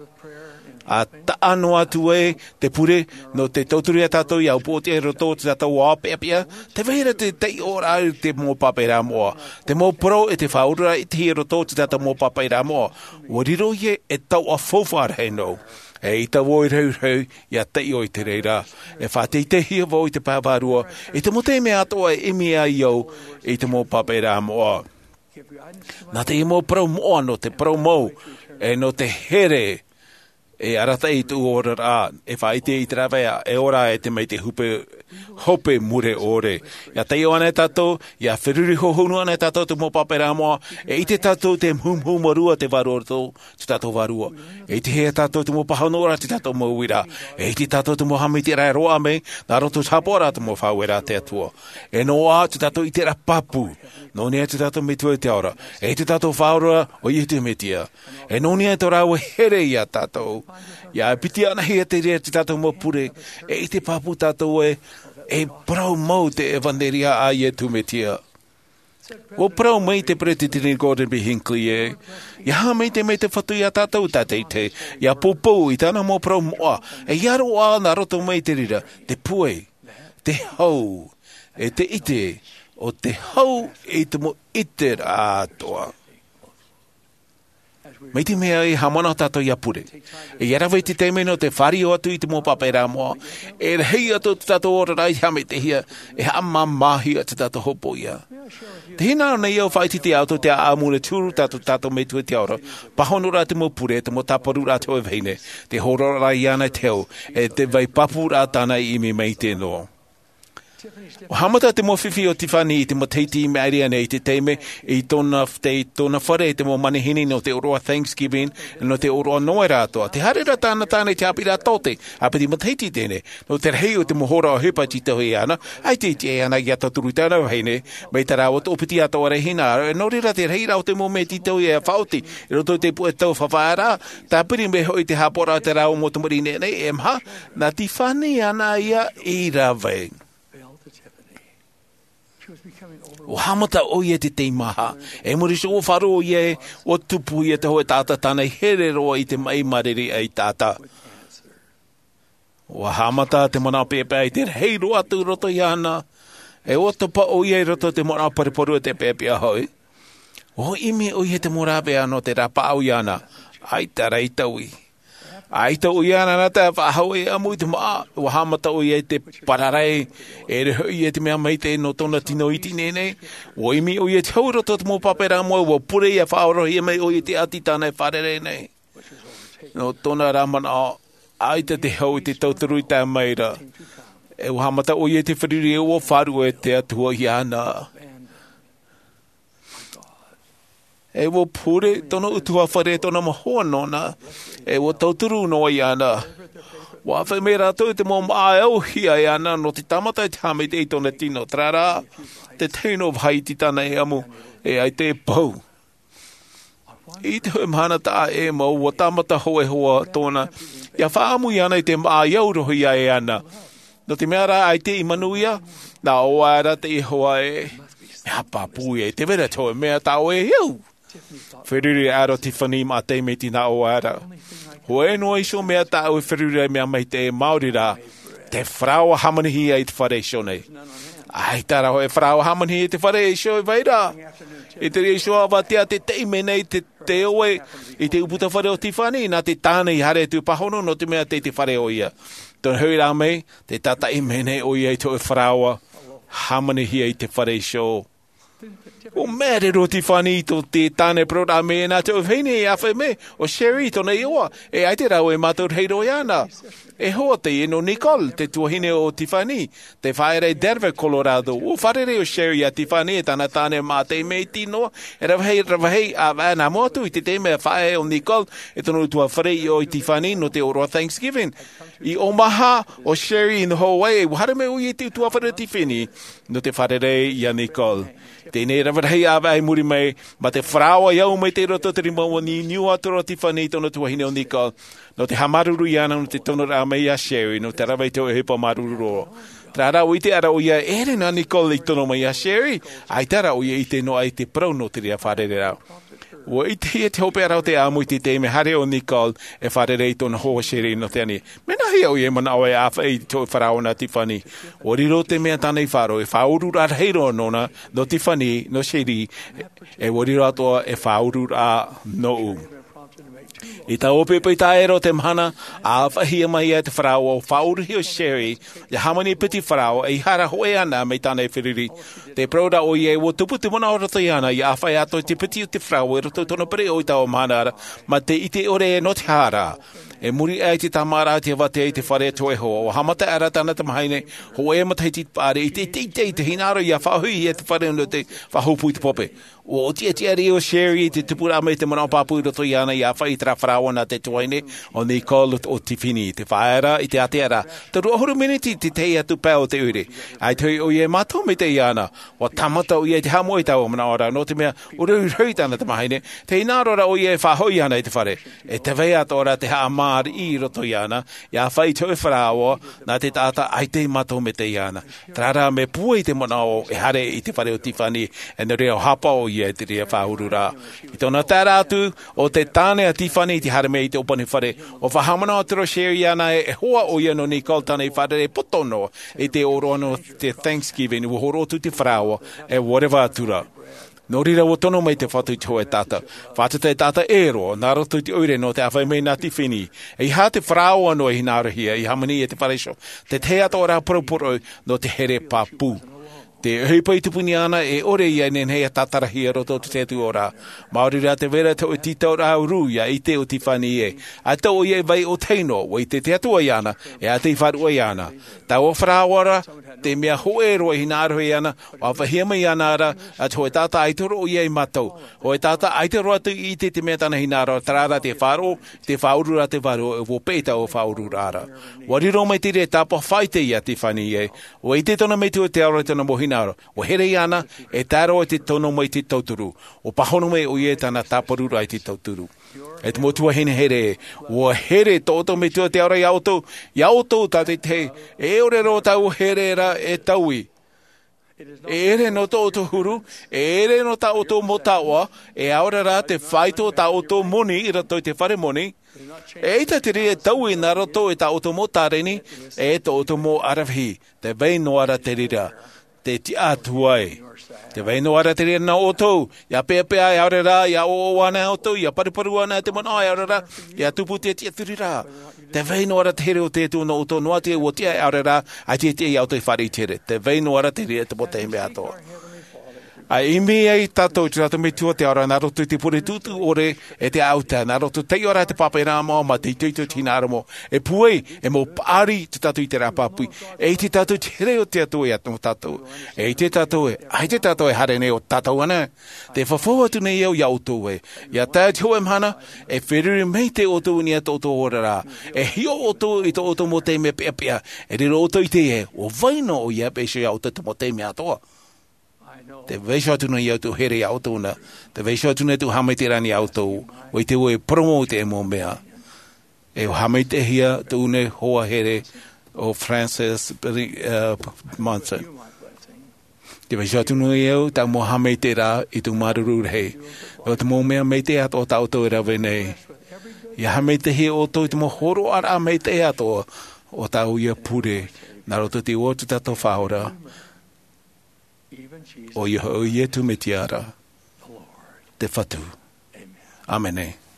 ʻA taʻa noa atu ē te pure, nō te tauturu iā tātou ʻia upoʻotiʻa i roto i tō tātou ao peʻapeʻa, tē vai ra te taiʻoraʻa i te mau pāpaʻiraʻa moʻa, te mau parau e te faʻaoraraʻa i te hia i roto i tō tātou mau pāpaʻiraʻa moʻa. ʻUa riro ïa e taoʻa faufaʻa rahi noa. ʻEita vau e rahi, ʻia taiʻo i te reira. E faʻateiteihia vau i te pae vārua, i te mau taime atoʻa e ʻimi ai au i te mau pāpaʻiraʻa moʻa. Nā te mau parau moʻa nō te parau mau, e nō te here, e arataʻi i tō ʻoe oraraʻa, e faʻaʻite i te rāveʻa, e ora e te maitaʻi hope, hope mure ʻore. ʻIa taiʻo ānei tātou, ʻia feruri hōhonu ānei tātou i te mau pāpaʻiraʻa moʻa, e ʻite tātou te muhumuhu mārū a te Vārua i tō tātou vārua. E ʻitehia tātou te mau pāhonoraʻa i tō tātou mau uiraʻa. E ʻite tātou te mau haʻamaitaʻiraʻa e roaʻa mai, nā roto i te haʻapaʻoraʻa i te mau faʻaueraʻa a te Atua. E noaʻa tō tātou ʻiteraʻa pāpū. Nō niʻa i tō tātou Metua i te ao ra. E tō tātou Faʻaora, ʻo Iesu Mesia. E nō niʻa i tō rāua here iā tātou. ʻIa piti anaʻe hia te reira i tō tātou mau pure. E ʻite pāpū tātou ē, e parau mau te ʻevanelia a Iesu Mesia. ʻUa parau mai te Peresideni Gordon B. Hinckley ē, ʻia haʻamaitaʻi mai te Fatu iā tātou tātaʻitahi, ʻia poupou i tāna mau parau moʻa, e ʻia roaʻa nā roto mai i te reira, te pure, te hau, e te ʻite, ʻo te hau i te mau ʻiteraʻa atoʻa. Mai te mea ē, haʻamanaʻo tātou ʻia pure. E ʻia rave i te taime nō te fāriʻi atu i te mau pāpaʻiraʻa moʻa. E rahi atu tō tātou oraraʻa i haʻamaitaʻihia, e haʻamāmāhia tō tātou hopoiʻa. Tē hinaʻaro nei au ʻia faʻaʻite iā ʻoutou te ʻāʻamu nā te huru tā tō tātou Metua i te ao ra. Pāhonoraʻa te mau pure, te mau tāparuraʻa a te hōʻē vahine. Te hōroʻaraʻa iāna i te hau, e te vai pāpūraʻa tāna i ʻimi mai i te noa. Ua haʻamata te mau fifi o Tiffany i te matahiti i maʻiri aʻe nei i te taime i tōna, i tōna fare i te mau manihini nō te ʻōroʻa Thanksgiving, nō te ʻōroʻa Noera atoʻa. Te haere ra tāna tāne i te haʻapiʻiraʻa tōte, ʻa piti matahiti teie, nō te rahi o te mau hora ʻohipa i tītauhia iāna, ʻaita i tiʻa iāna ia tauturu i tāna vahine, mai tā rāua toʻopiti atoʻa ra e hinaʻaro, nō reira te rahi ra o te mau mea e tītauhia e faʻaoti, i roto i te puʻe tau faʻafaʻaraʻa, tāpiri mai hoʻi te haʻapaʻoraʻa o te rāua mau tamariʻi nei, e maha, nā Tiffany āna ia i rave. Ua haʻamata ʻoia i te teimaha. E muri iho ua faʻaroʻo ʻoia, ua tupu ʻoia te hōʻē taʻata tāna i here roa i te maʻi māriri ʻaita ata. Ua haʻamata te manaʻo peʻapeʻa i te rahi roa atu i roto iāna. E ua topa ʻoia i roto i te manaʻo paruparu e te peʻapeʻa hoʻi. Ua ʻimi ʻoia i te mau rāveʻa nō te rāpaʻau iāna. ʻAita rā i taui. ʻAita ʻoia nā te faʻahou e ʻamu i te māʻa, ua haʻamata ʻoia i te pararae, e riro hoʻi ia te mea maitaʻi nō tōna tino iti nei. Ua ʻimi ʻoia i te hau i roto i te mau pāpā rāmoe, ua pure ia faʻaorohia mai ʻoia i te ʻati tāna e fārerei nei. Nō tōna rā manaʻo, ʻaita te hau i te tauturu i tae mai ra. E ua haʻamata ʻoia i te feruri e ua faʻaruʻe te Atua iāna. E ua pure tōna ʻutuāfare, tōna mau hoa nōna, e ua tauturu noa iāna. Ua ʻāfaʻi mai rātou i te mau māʻa e auhia iāna nō te tāmata i te haʻamaitaʻi i tōna tino, terā rā, te tahi noa vāhi iti tāna e ʻamu, e ʻaita e pau. I te hōʻē mahana taʻa ʻē mau, ua tāmata hōʻē hoa tōna, ia faʻaʻamu iāna i te māʻa i aurohia e ana. Nō te mea rā, ʻaita i manuia, nā ʻō aʻera te hoa ē, mea pāpū ē, tē vai ra te hōʻē mea tā ʻoe e au. Feruri aʻera ʻo Tiffany i te taime i nā ʻō aʻera. Hōʻē noa iho mea tāʻu e feruri ai, mea maitaʻi, maori rā, te faraoa hāmanihia i te fare iho nei. ʻAita rā hōʻē faraoa hāmanihia i te fare iho e vai ra. I te reira iho ʻāvatea te taime nei te, te ʻoe i te ʻūputa fare o Tiffany, nā te tāne i haere atu i pāhono nō te mea tei te fare ʻoia. Tōna hoʻi rā mai, tē tātaʻi mai nei ʻoia i te hōʻē faraoa hāmanihia i te fare iho. ʻUa mea riro Tiffany i tō te tāne parau ra mai, nā te hōʻē vahine i ʻāfaʻi mai, ʻo Sherry tōna iʻoa, e ʻaita rāua e mātau rahi roa iāna. E hoa teie nō Nicole, te tuahine o Tiffany, tē fāʻaʻe ra i Denver, Colorado. ʻUa fārerei ʻo Sherry iā Tiffany e tāna tāne mā te mea iti noa, e rave rahi, rave rahi ʻāvaʻe nā mua atu i te taime e fāʻaʻe ʻo Nicole, e tōna ʻutuāfare i ʻō i Tiffany nō te ʻōroʻa Thanksgiving. I Omaha, ʻo Sherry i noho ai, e ua haere mai ʻoia i te ʻutuāfare o Tiffany, nō te fārerei iā Nicole. Teie nei rave rahi ʻāvaʻe i muri mai, mā te faraoa i au mai i roto i te rima, ʻua niuniu atu ra Tiffany i tōna tuahine ʻo Nicole, nō te haʻamāuruuru iāna nō te tonoraʻa mai iā Sherry, nō te rave i te hōʻē ʻohipa māuruuru roa. Terā rā, ʻua ʻite ʻara ʻoia e ʻere nā Nicole i tono mai iā Sherry, ʻaita rā ʻoia i ʻite noa i te parau nō te reira fārereiraʻa. ʻUa ʻitehia te hopeʻa ra o te ʻamu i te taime haere ʻo Nicole e fārerei i tōna hoa Sherry nō te ani. Mea nāhea ʻoia e manaʻo e ʻāfaʻi i te hōʻē faraoa nā Tiffany? ʻUa riro te mea tāna i faʻaroʻo, e faʻaururaʻa rahi roa nōna, nō Tiffany, nō Sherry, e ʻua riro atoʻa e faʻaururaʻa nōʻu. I taua poʻipoʻi taʻata o te mahana, ʻāfaʻihia mai ai te faraoa, ʻua faʻauruhia ʻo Sherry, ʻia hāmani i te piti faraoa, ʻeiaha rā hōʻē ana mai tāna e feruri. Tē parau ra ʻoia ē, ʻua tupu te manaʻo i roto iāna, ʻia ʻāfaʻi atoʻa i te piti o te faraoa i roto i tōna pereʻoʻo i taua mahana ra, mā te ʻite ʻore nō te aha rā. E muri aʻe i te tāmāraʻa i te ʻāvatea i te fare o te hōʻē hoa, ʻua haʻamata aʻera tāna tamahine, hōʻē matahiti paʻari, i te, i te, i te, i te hinaʻaro ʻia faʻahoʻihia te fare nō te faʻahōpū i te pape. ʻUa ʻōtiʻatiʻa ʻo Sherry i te tupuraʻa mai i te manaʻo pāpū i roto iāna ʻia ʻāfaʻi i terā faraoa nā te tuahine ʻo Nicole ʻo Tiffany. Tē fāʻaʻe ra i te ātea ra, toru ʻahuru miniti i te tahi atu pae o te ʻoire. ʻAita hoʻi ʻoia e mātau maitaʻi iāna, ʻua tāmata ʻoia i te haʻamoʻe i taua manaʻo ra, nō te mea ʻua rohirohi tāna tamahine, te hinaʻaro ra ʻoia e faʻahoʻi ana i te fare. E tē vai atoʻa ra te haʻamāriʻi i roto iāna, ʻia ʻāfaʻi i te hōʻē faraoa, nā te taʻata ʻaita i mātau maitaʻi iāna. Terā rā, mea pūai te manaʻo e haere i te fare o Tiffany, e nō reira ʻua hāpaʻo ʻoia i te reira faʻaururaʻa. I tōna tae ra atu, ʻo te tāne a Tiffany i te haere mai i te ʻōpani fare, ʻua faʻahaʻamanaʻo atu ra ʻo Sherry iāna ē, e hoa ʻoia nō Nicole tāna i fārerei poto noa, i te ʻōroʻa nō te Thanksgiving, ʻua hōroʻa atu te faraoa, e ʻua reva atu ra. Nō reira ʻua tono mai te Fatu i te hōʻē taʻata. Fatu te taʻata ʻē roa, nā roto i te ʻoire nō te ʻāfaʻi mai nā Tiffany. ʻEiaha te faraoa noa i hinaʻarohia, i hāmani i te fare iho. Te tahi atoʻa ra parauparau, nō te here pāpū. Te ʻohipa i tupuni ana, e ʻore ia e nehenehe e tātarahia i roto i te Atua ra. Maori rā te vai ra te hōʻē tītauraʻa ʻuru ia ʻite ʻo Tiffany ē. ʻAita ʻoia i vai ʻōtahi noa, ʻua ʻite te Atua iāna, e ʻaita i faʻaruʻe iāna. Taua faʻaroʻo ra, te mea hōʻē roa i hinaʻaro iāna, ʻua ʻāfaʻihia mai iāna ra, ʻa te hōʻē taʻata ʻaita roa ʻoia ia mātau. Hōʻē taʻata ʻaita roa atu i ʻite i te mea tāna hinaʻaro, terā rā te faʻaroʻo, te faʻaʻuru ra te vārua, e ʻua peʻe taua faʻaʻururaʻa ra. ʻUa riro mai te reira e tāpaʻo faʻaʻite ia Tiffany ē. ʻUa ʻite tōna metua te ao ra i tōna mau hinaʻaro. ʻUa here iāna, e tae roa i te tono mai i te tauturu. ʻUa pāhono mai ʻoia i tāna tāparuraʻa i te tauturu. E te mau tuahine here, ʻua here tō ʻoutou metua te ao ra iā ʻoutou, iā ʻoutou tātaʻitahi, e ʻore roa taua here ra e taui. E ʻere nō tō ʻoutou huru, e ʻere nō tā ʻoutou mau taoʻa, e ʻaore rā te faito tā ʻoutou moni i roto i te fare moni. E ʻaita te reira e taui nā roto i tā ʻoutou mau tāreni, e tō ʻoutou mau aravihi. Te vai noa ra te reira, te tiʻa atu ai. Te vai noa ra te reira nō ʻoutou, ʻia peʻapeʻa e ʻaore rā, ʻia ʻoʻoʻo ana ʻoutou, ʻia paruparu ana te manaʻo e ʻaore rā, ʻia tupu te tiʻaturi ra. Te vai noa ra te here o te Atua nō ʻoutou noa atu e ʻua tiʻa e ʻaore rā, ʻaita e tiʻa iā ʻoutou e fāriʻi i te here. Te vai noa ra te reira te mau taime atoʻa. ʻA ʻimi ai tātou i tō tātou metua te ao ra nā roto i te pure tūtū ʻore e te ʻauta, nā roto i te taiʻo ra te pāpaʻiraʻa moʻa mā te itoito i te hinaʻaro moʻa. E pūai, e mau paʻari tō tātou i te rāpapi. E ʻite tātou i te here o te Atua iā tō tātou. E ʻite tātou ē, ʻaita tātou e haere nei ʻo tātou ana. Te fafau atu nei au iā ʻoutou ē, ʻia tae i te hōʻē mahana, e feruri maitaʻi ʻoutou i niʻa i tō ʻoutou oraraʻa. E hiʻo ʻoutou i tō ʻoutou mau taime peʻapeʻa, e riro ʻoutou i te ʻite ē, ʻua vai noa ʻoia e peʻe iho iā ʻoutou te mau taime atoʻa. Te vaiiho atu nei au tō here iā ʻoutou na, te vaiiho atu nei tō haʻamaitaʻiraʻa nei iā ʻoutou, ʻua ʻite vau e parau mau i te mau mea. E ʻua haʻamaitaʻihia tōʻu nei hoa here ʻo Francis, uh, Monson. Te vaiiho atu nei au tāʻu mau haʻamaitaʻiraʻa i tōʻu māuruuru rahi. ʻO te mau mea maitaʻi atoʻa tā ʻoutou e rave nei. ʻIa haʻamaitaʻihia ʻoutou i te mau hōroʻaraʻa maitaʻi atoʻa o tāʻu ia pure, nā roto i te iʻoa o tō tātou Faʻaora. ʻOia hoʻi ʻo Iesu Mesia ra, te Fatu. ʻĀmene.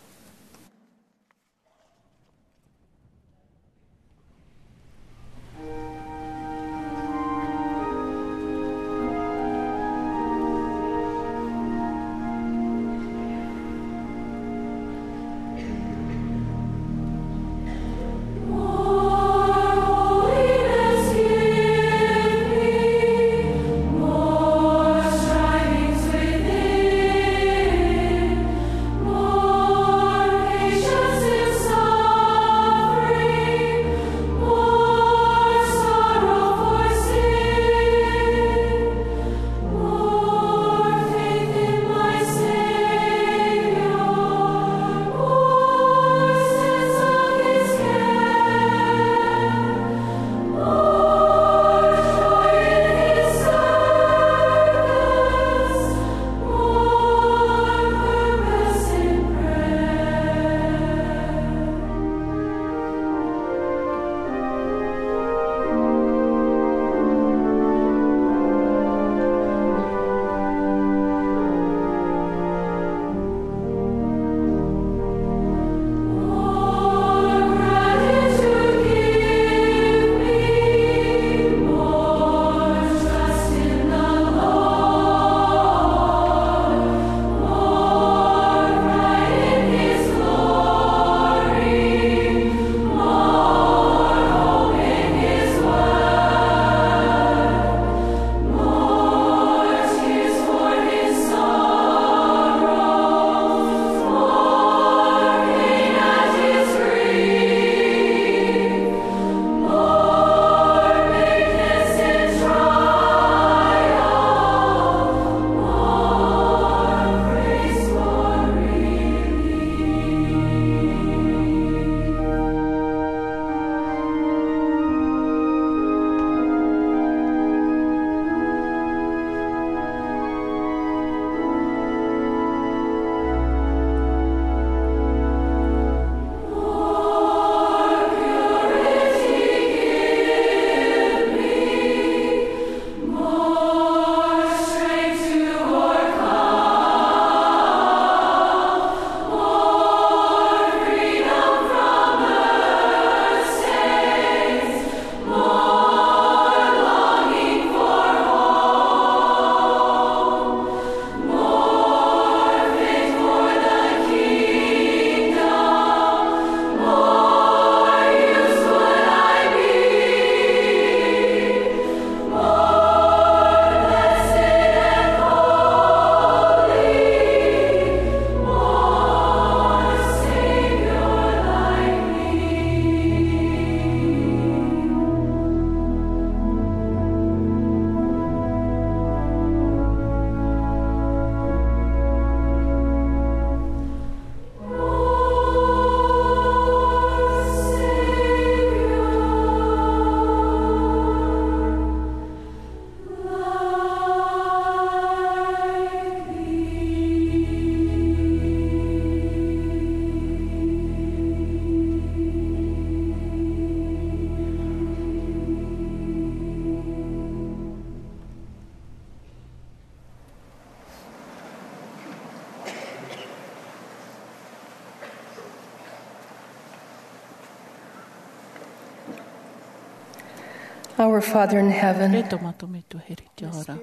Our Father in heaven, e tō mātou Metua here i te ao ra,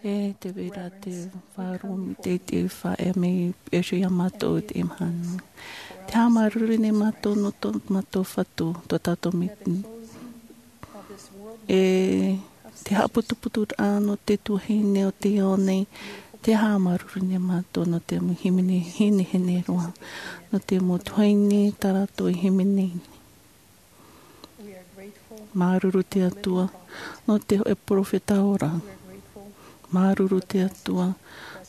e te vai ra te vārua maitaʻi te faʻaea mai iā mātou i teie mahana. Te haʻamāuruuru nei mātou nō tō mātou Fatu, tō tātou Metua. E te haʻaputuputuraʻa nō te tuahine o te ao nei, te haʻamāuruuru nei mātou nō te mau hīmene hinehine roa, nō te mau tuahine tā rātou e hīmene. Māuruuru te Atua nō te hōʻē perofeta ora. Māuruuru te Atua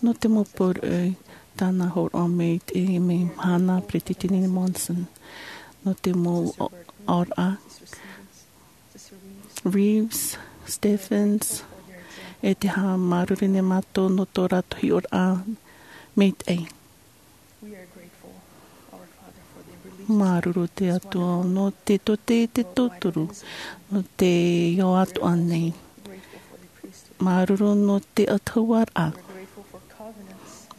nō te mau poroʻi tāna hōroʻa mai i teie mahana, Peresideni Monson, nō te mau aʻoraʻa, Reeves, Stephens, e te haʻamāuruuru nei mātou nō tō rātou hiʻoraʻa maitaʻi. Māuruuru te Atua nō te tōtaiete tauturu, nō te ao atoʻa nei. Māuruuru nō te ʻautahuaraʻa,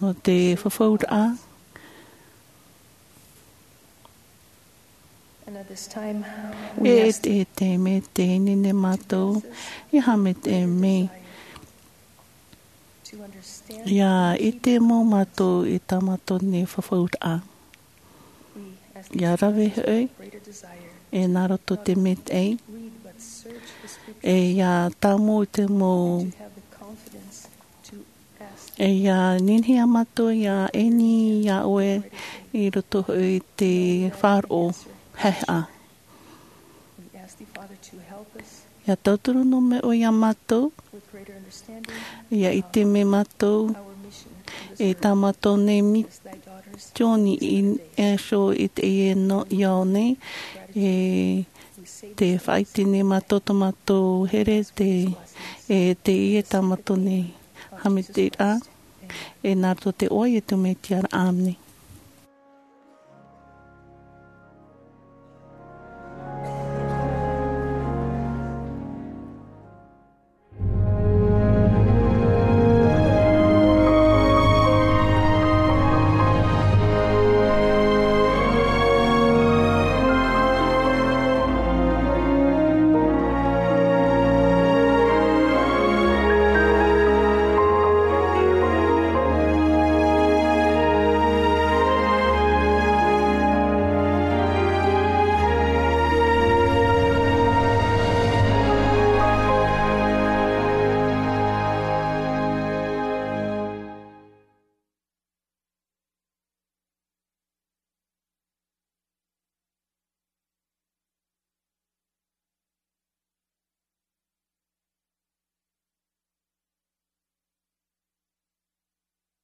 nō te fafauraʻa. E te, e te mea tē ʻite nei mātou, e aha te mea ʻia ʻite mau mātou i tā mātou nei fafauraʻa. ʻIa rave hoʻi, e nā roto te maitaʻi, e ʻia tāmau i te mau, e ʻia ninihia mātou ʻia ʻaini iā ʻoe i roto hoʻi i te faʻaroʻo haʻehaʻa. ʻIa tauturu noa mai ʻoe iā mātou, ʻia ʻite mai mātou, e tā mātou nei misioni i ʻō i teie nei ao nei, e tē faʻaʻite nei mātou tō mātou here te, e teie tā mātou nei haʻamaitaʻiraʻa, e nā roto i te iʻoa o Iesu Mesia, ʻāmene.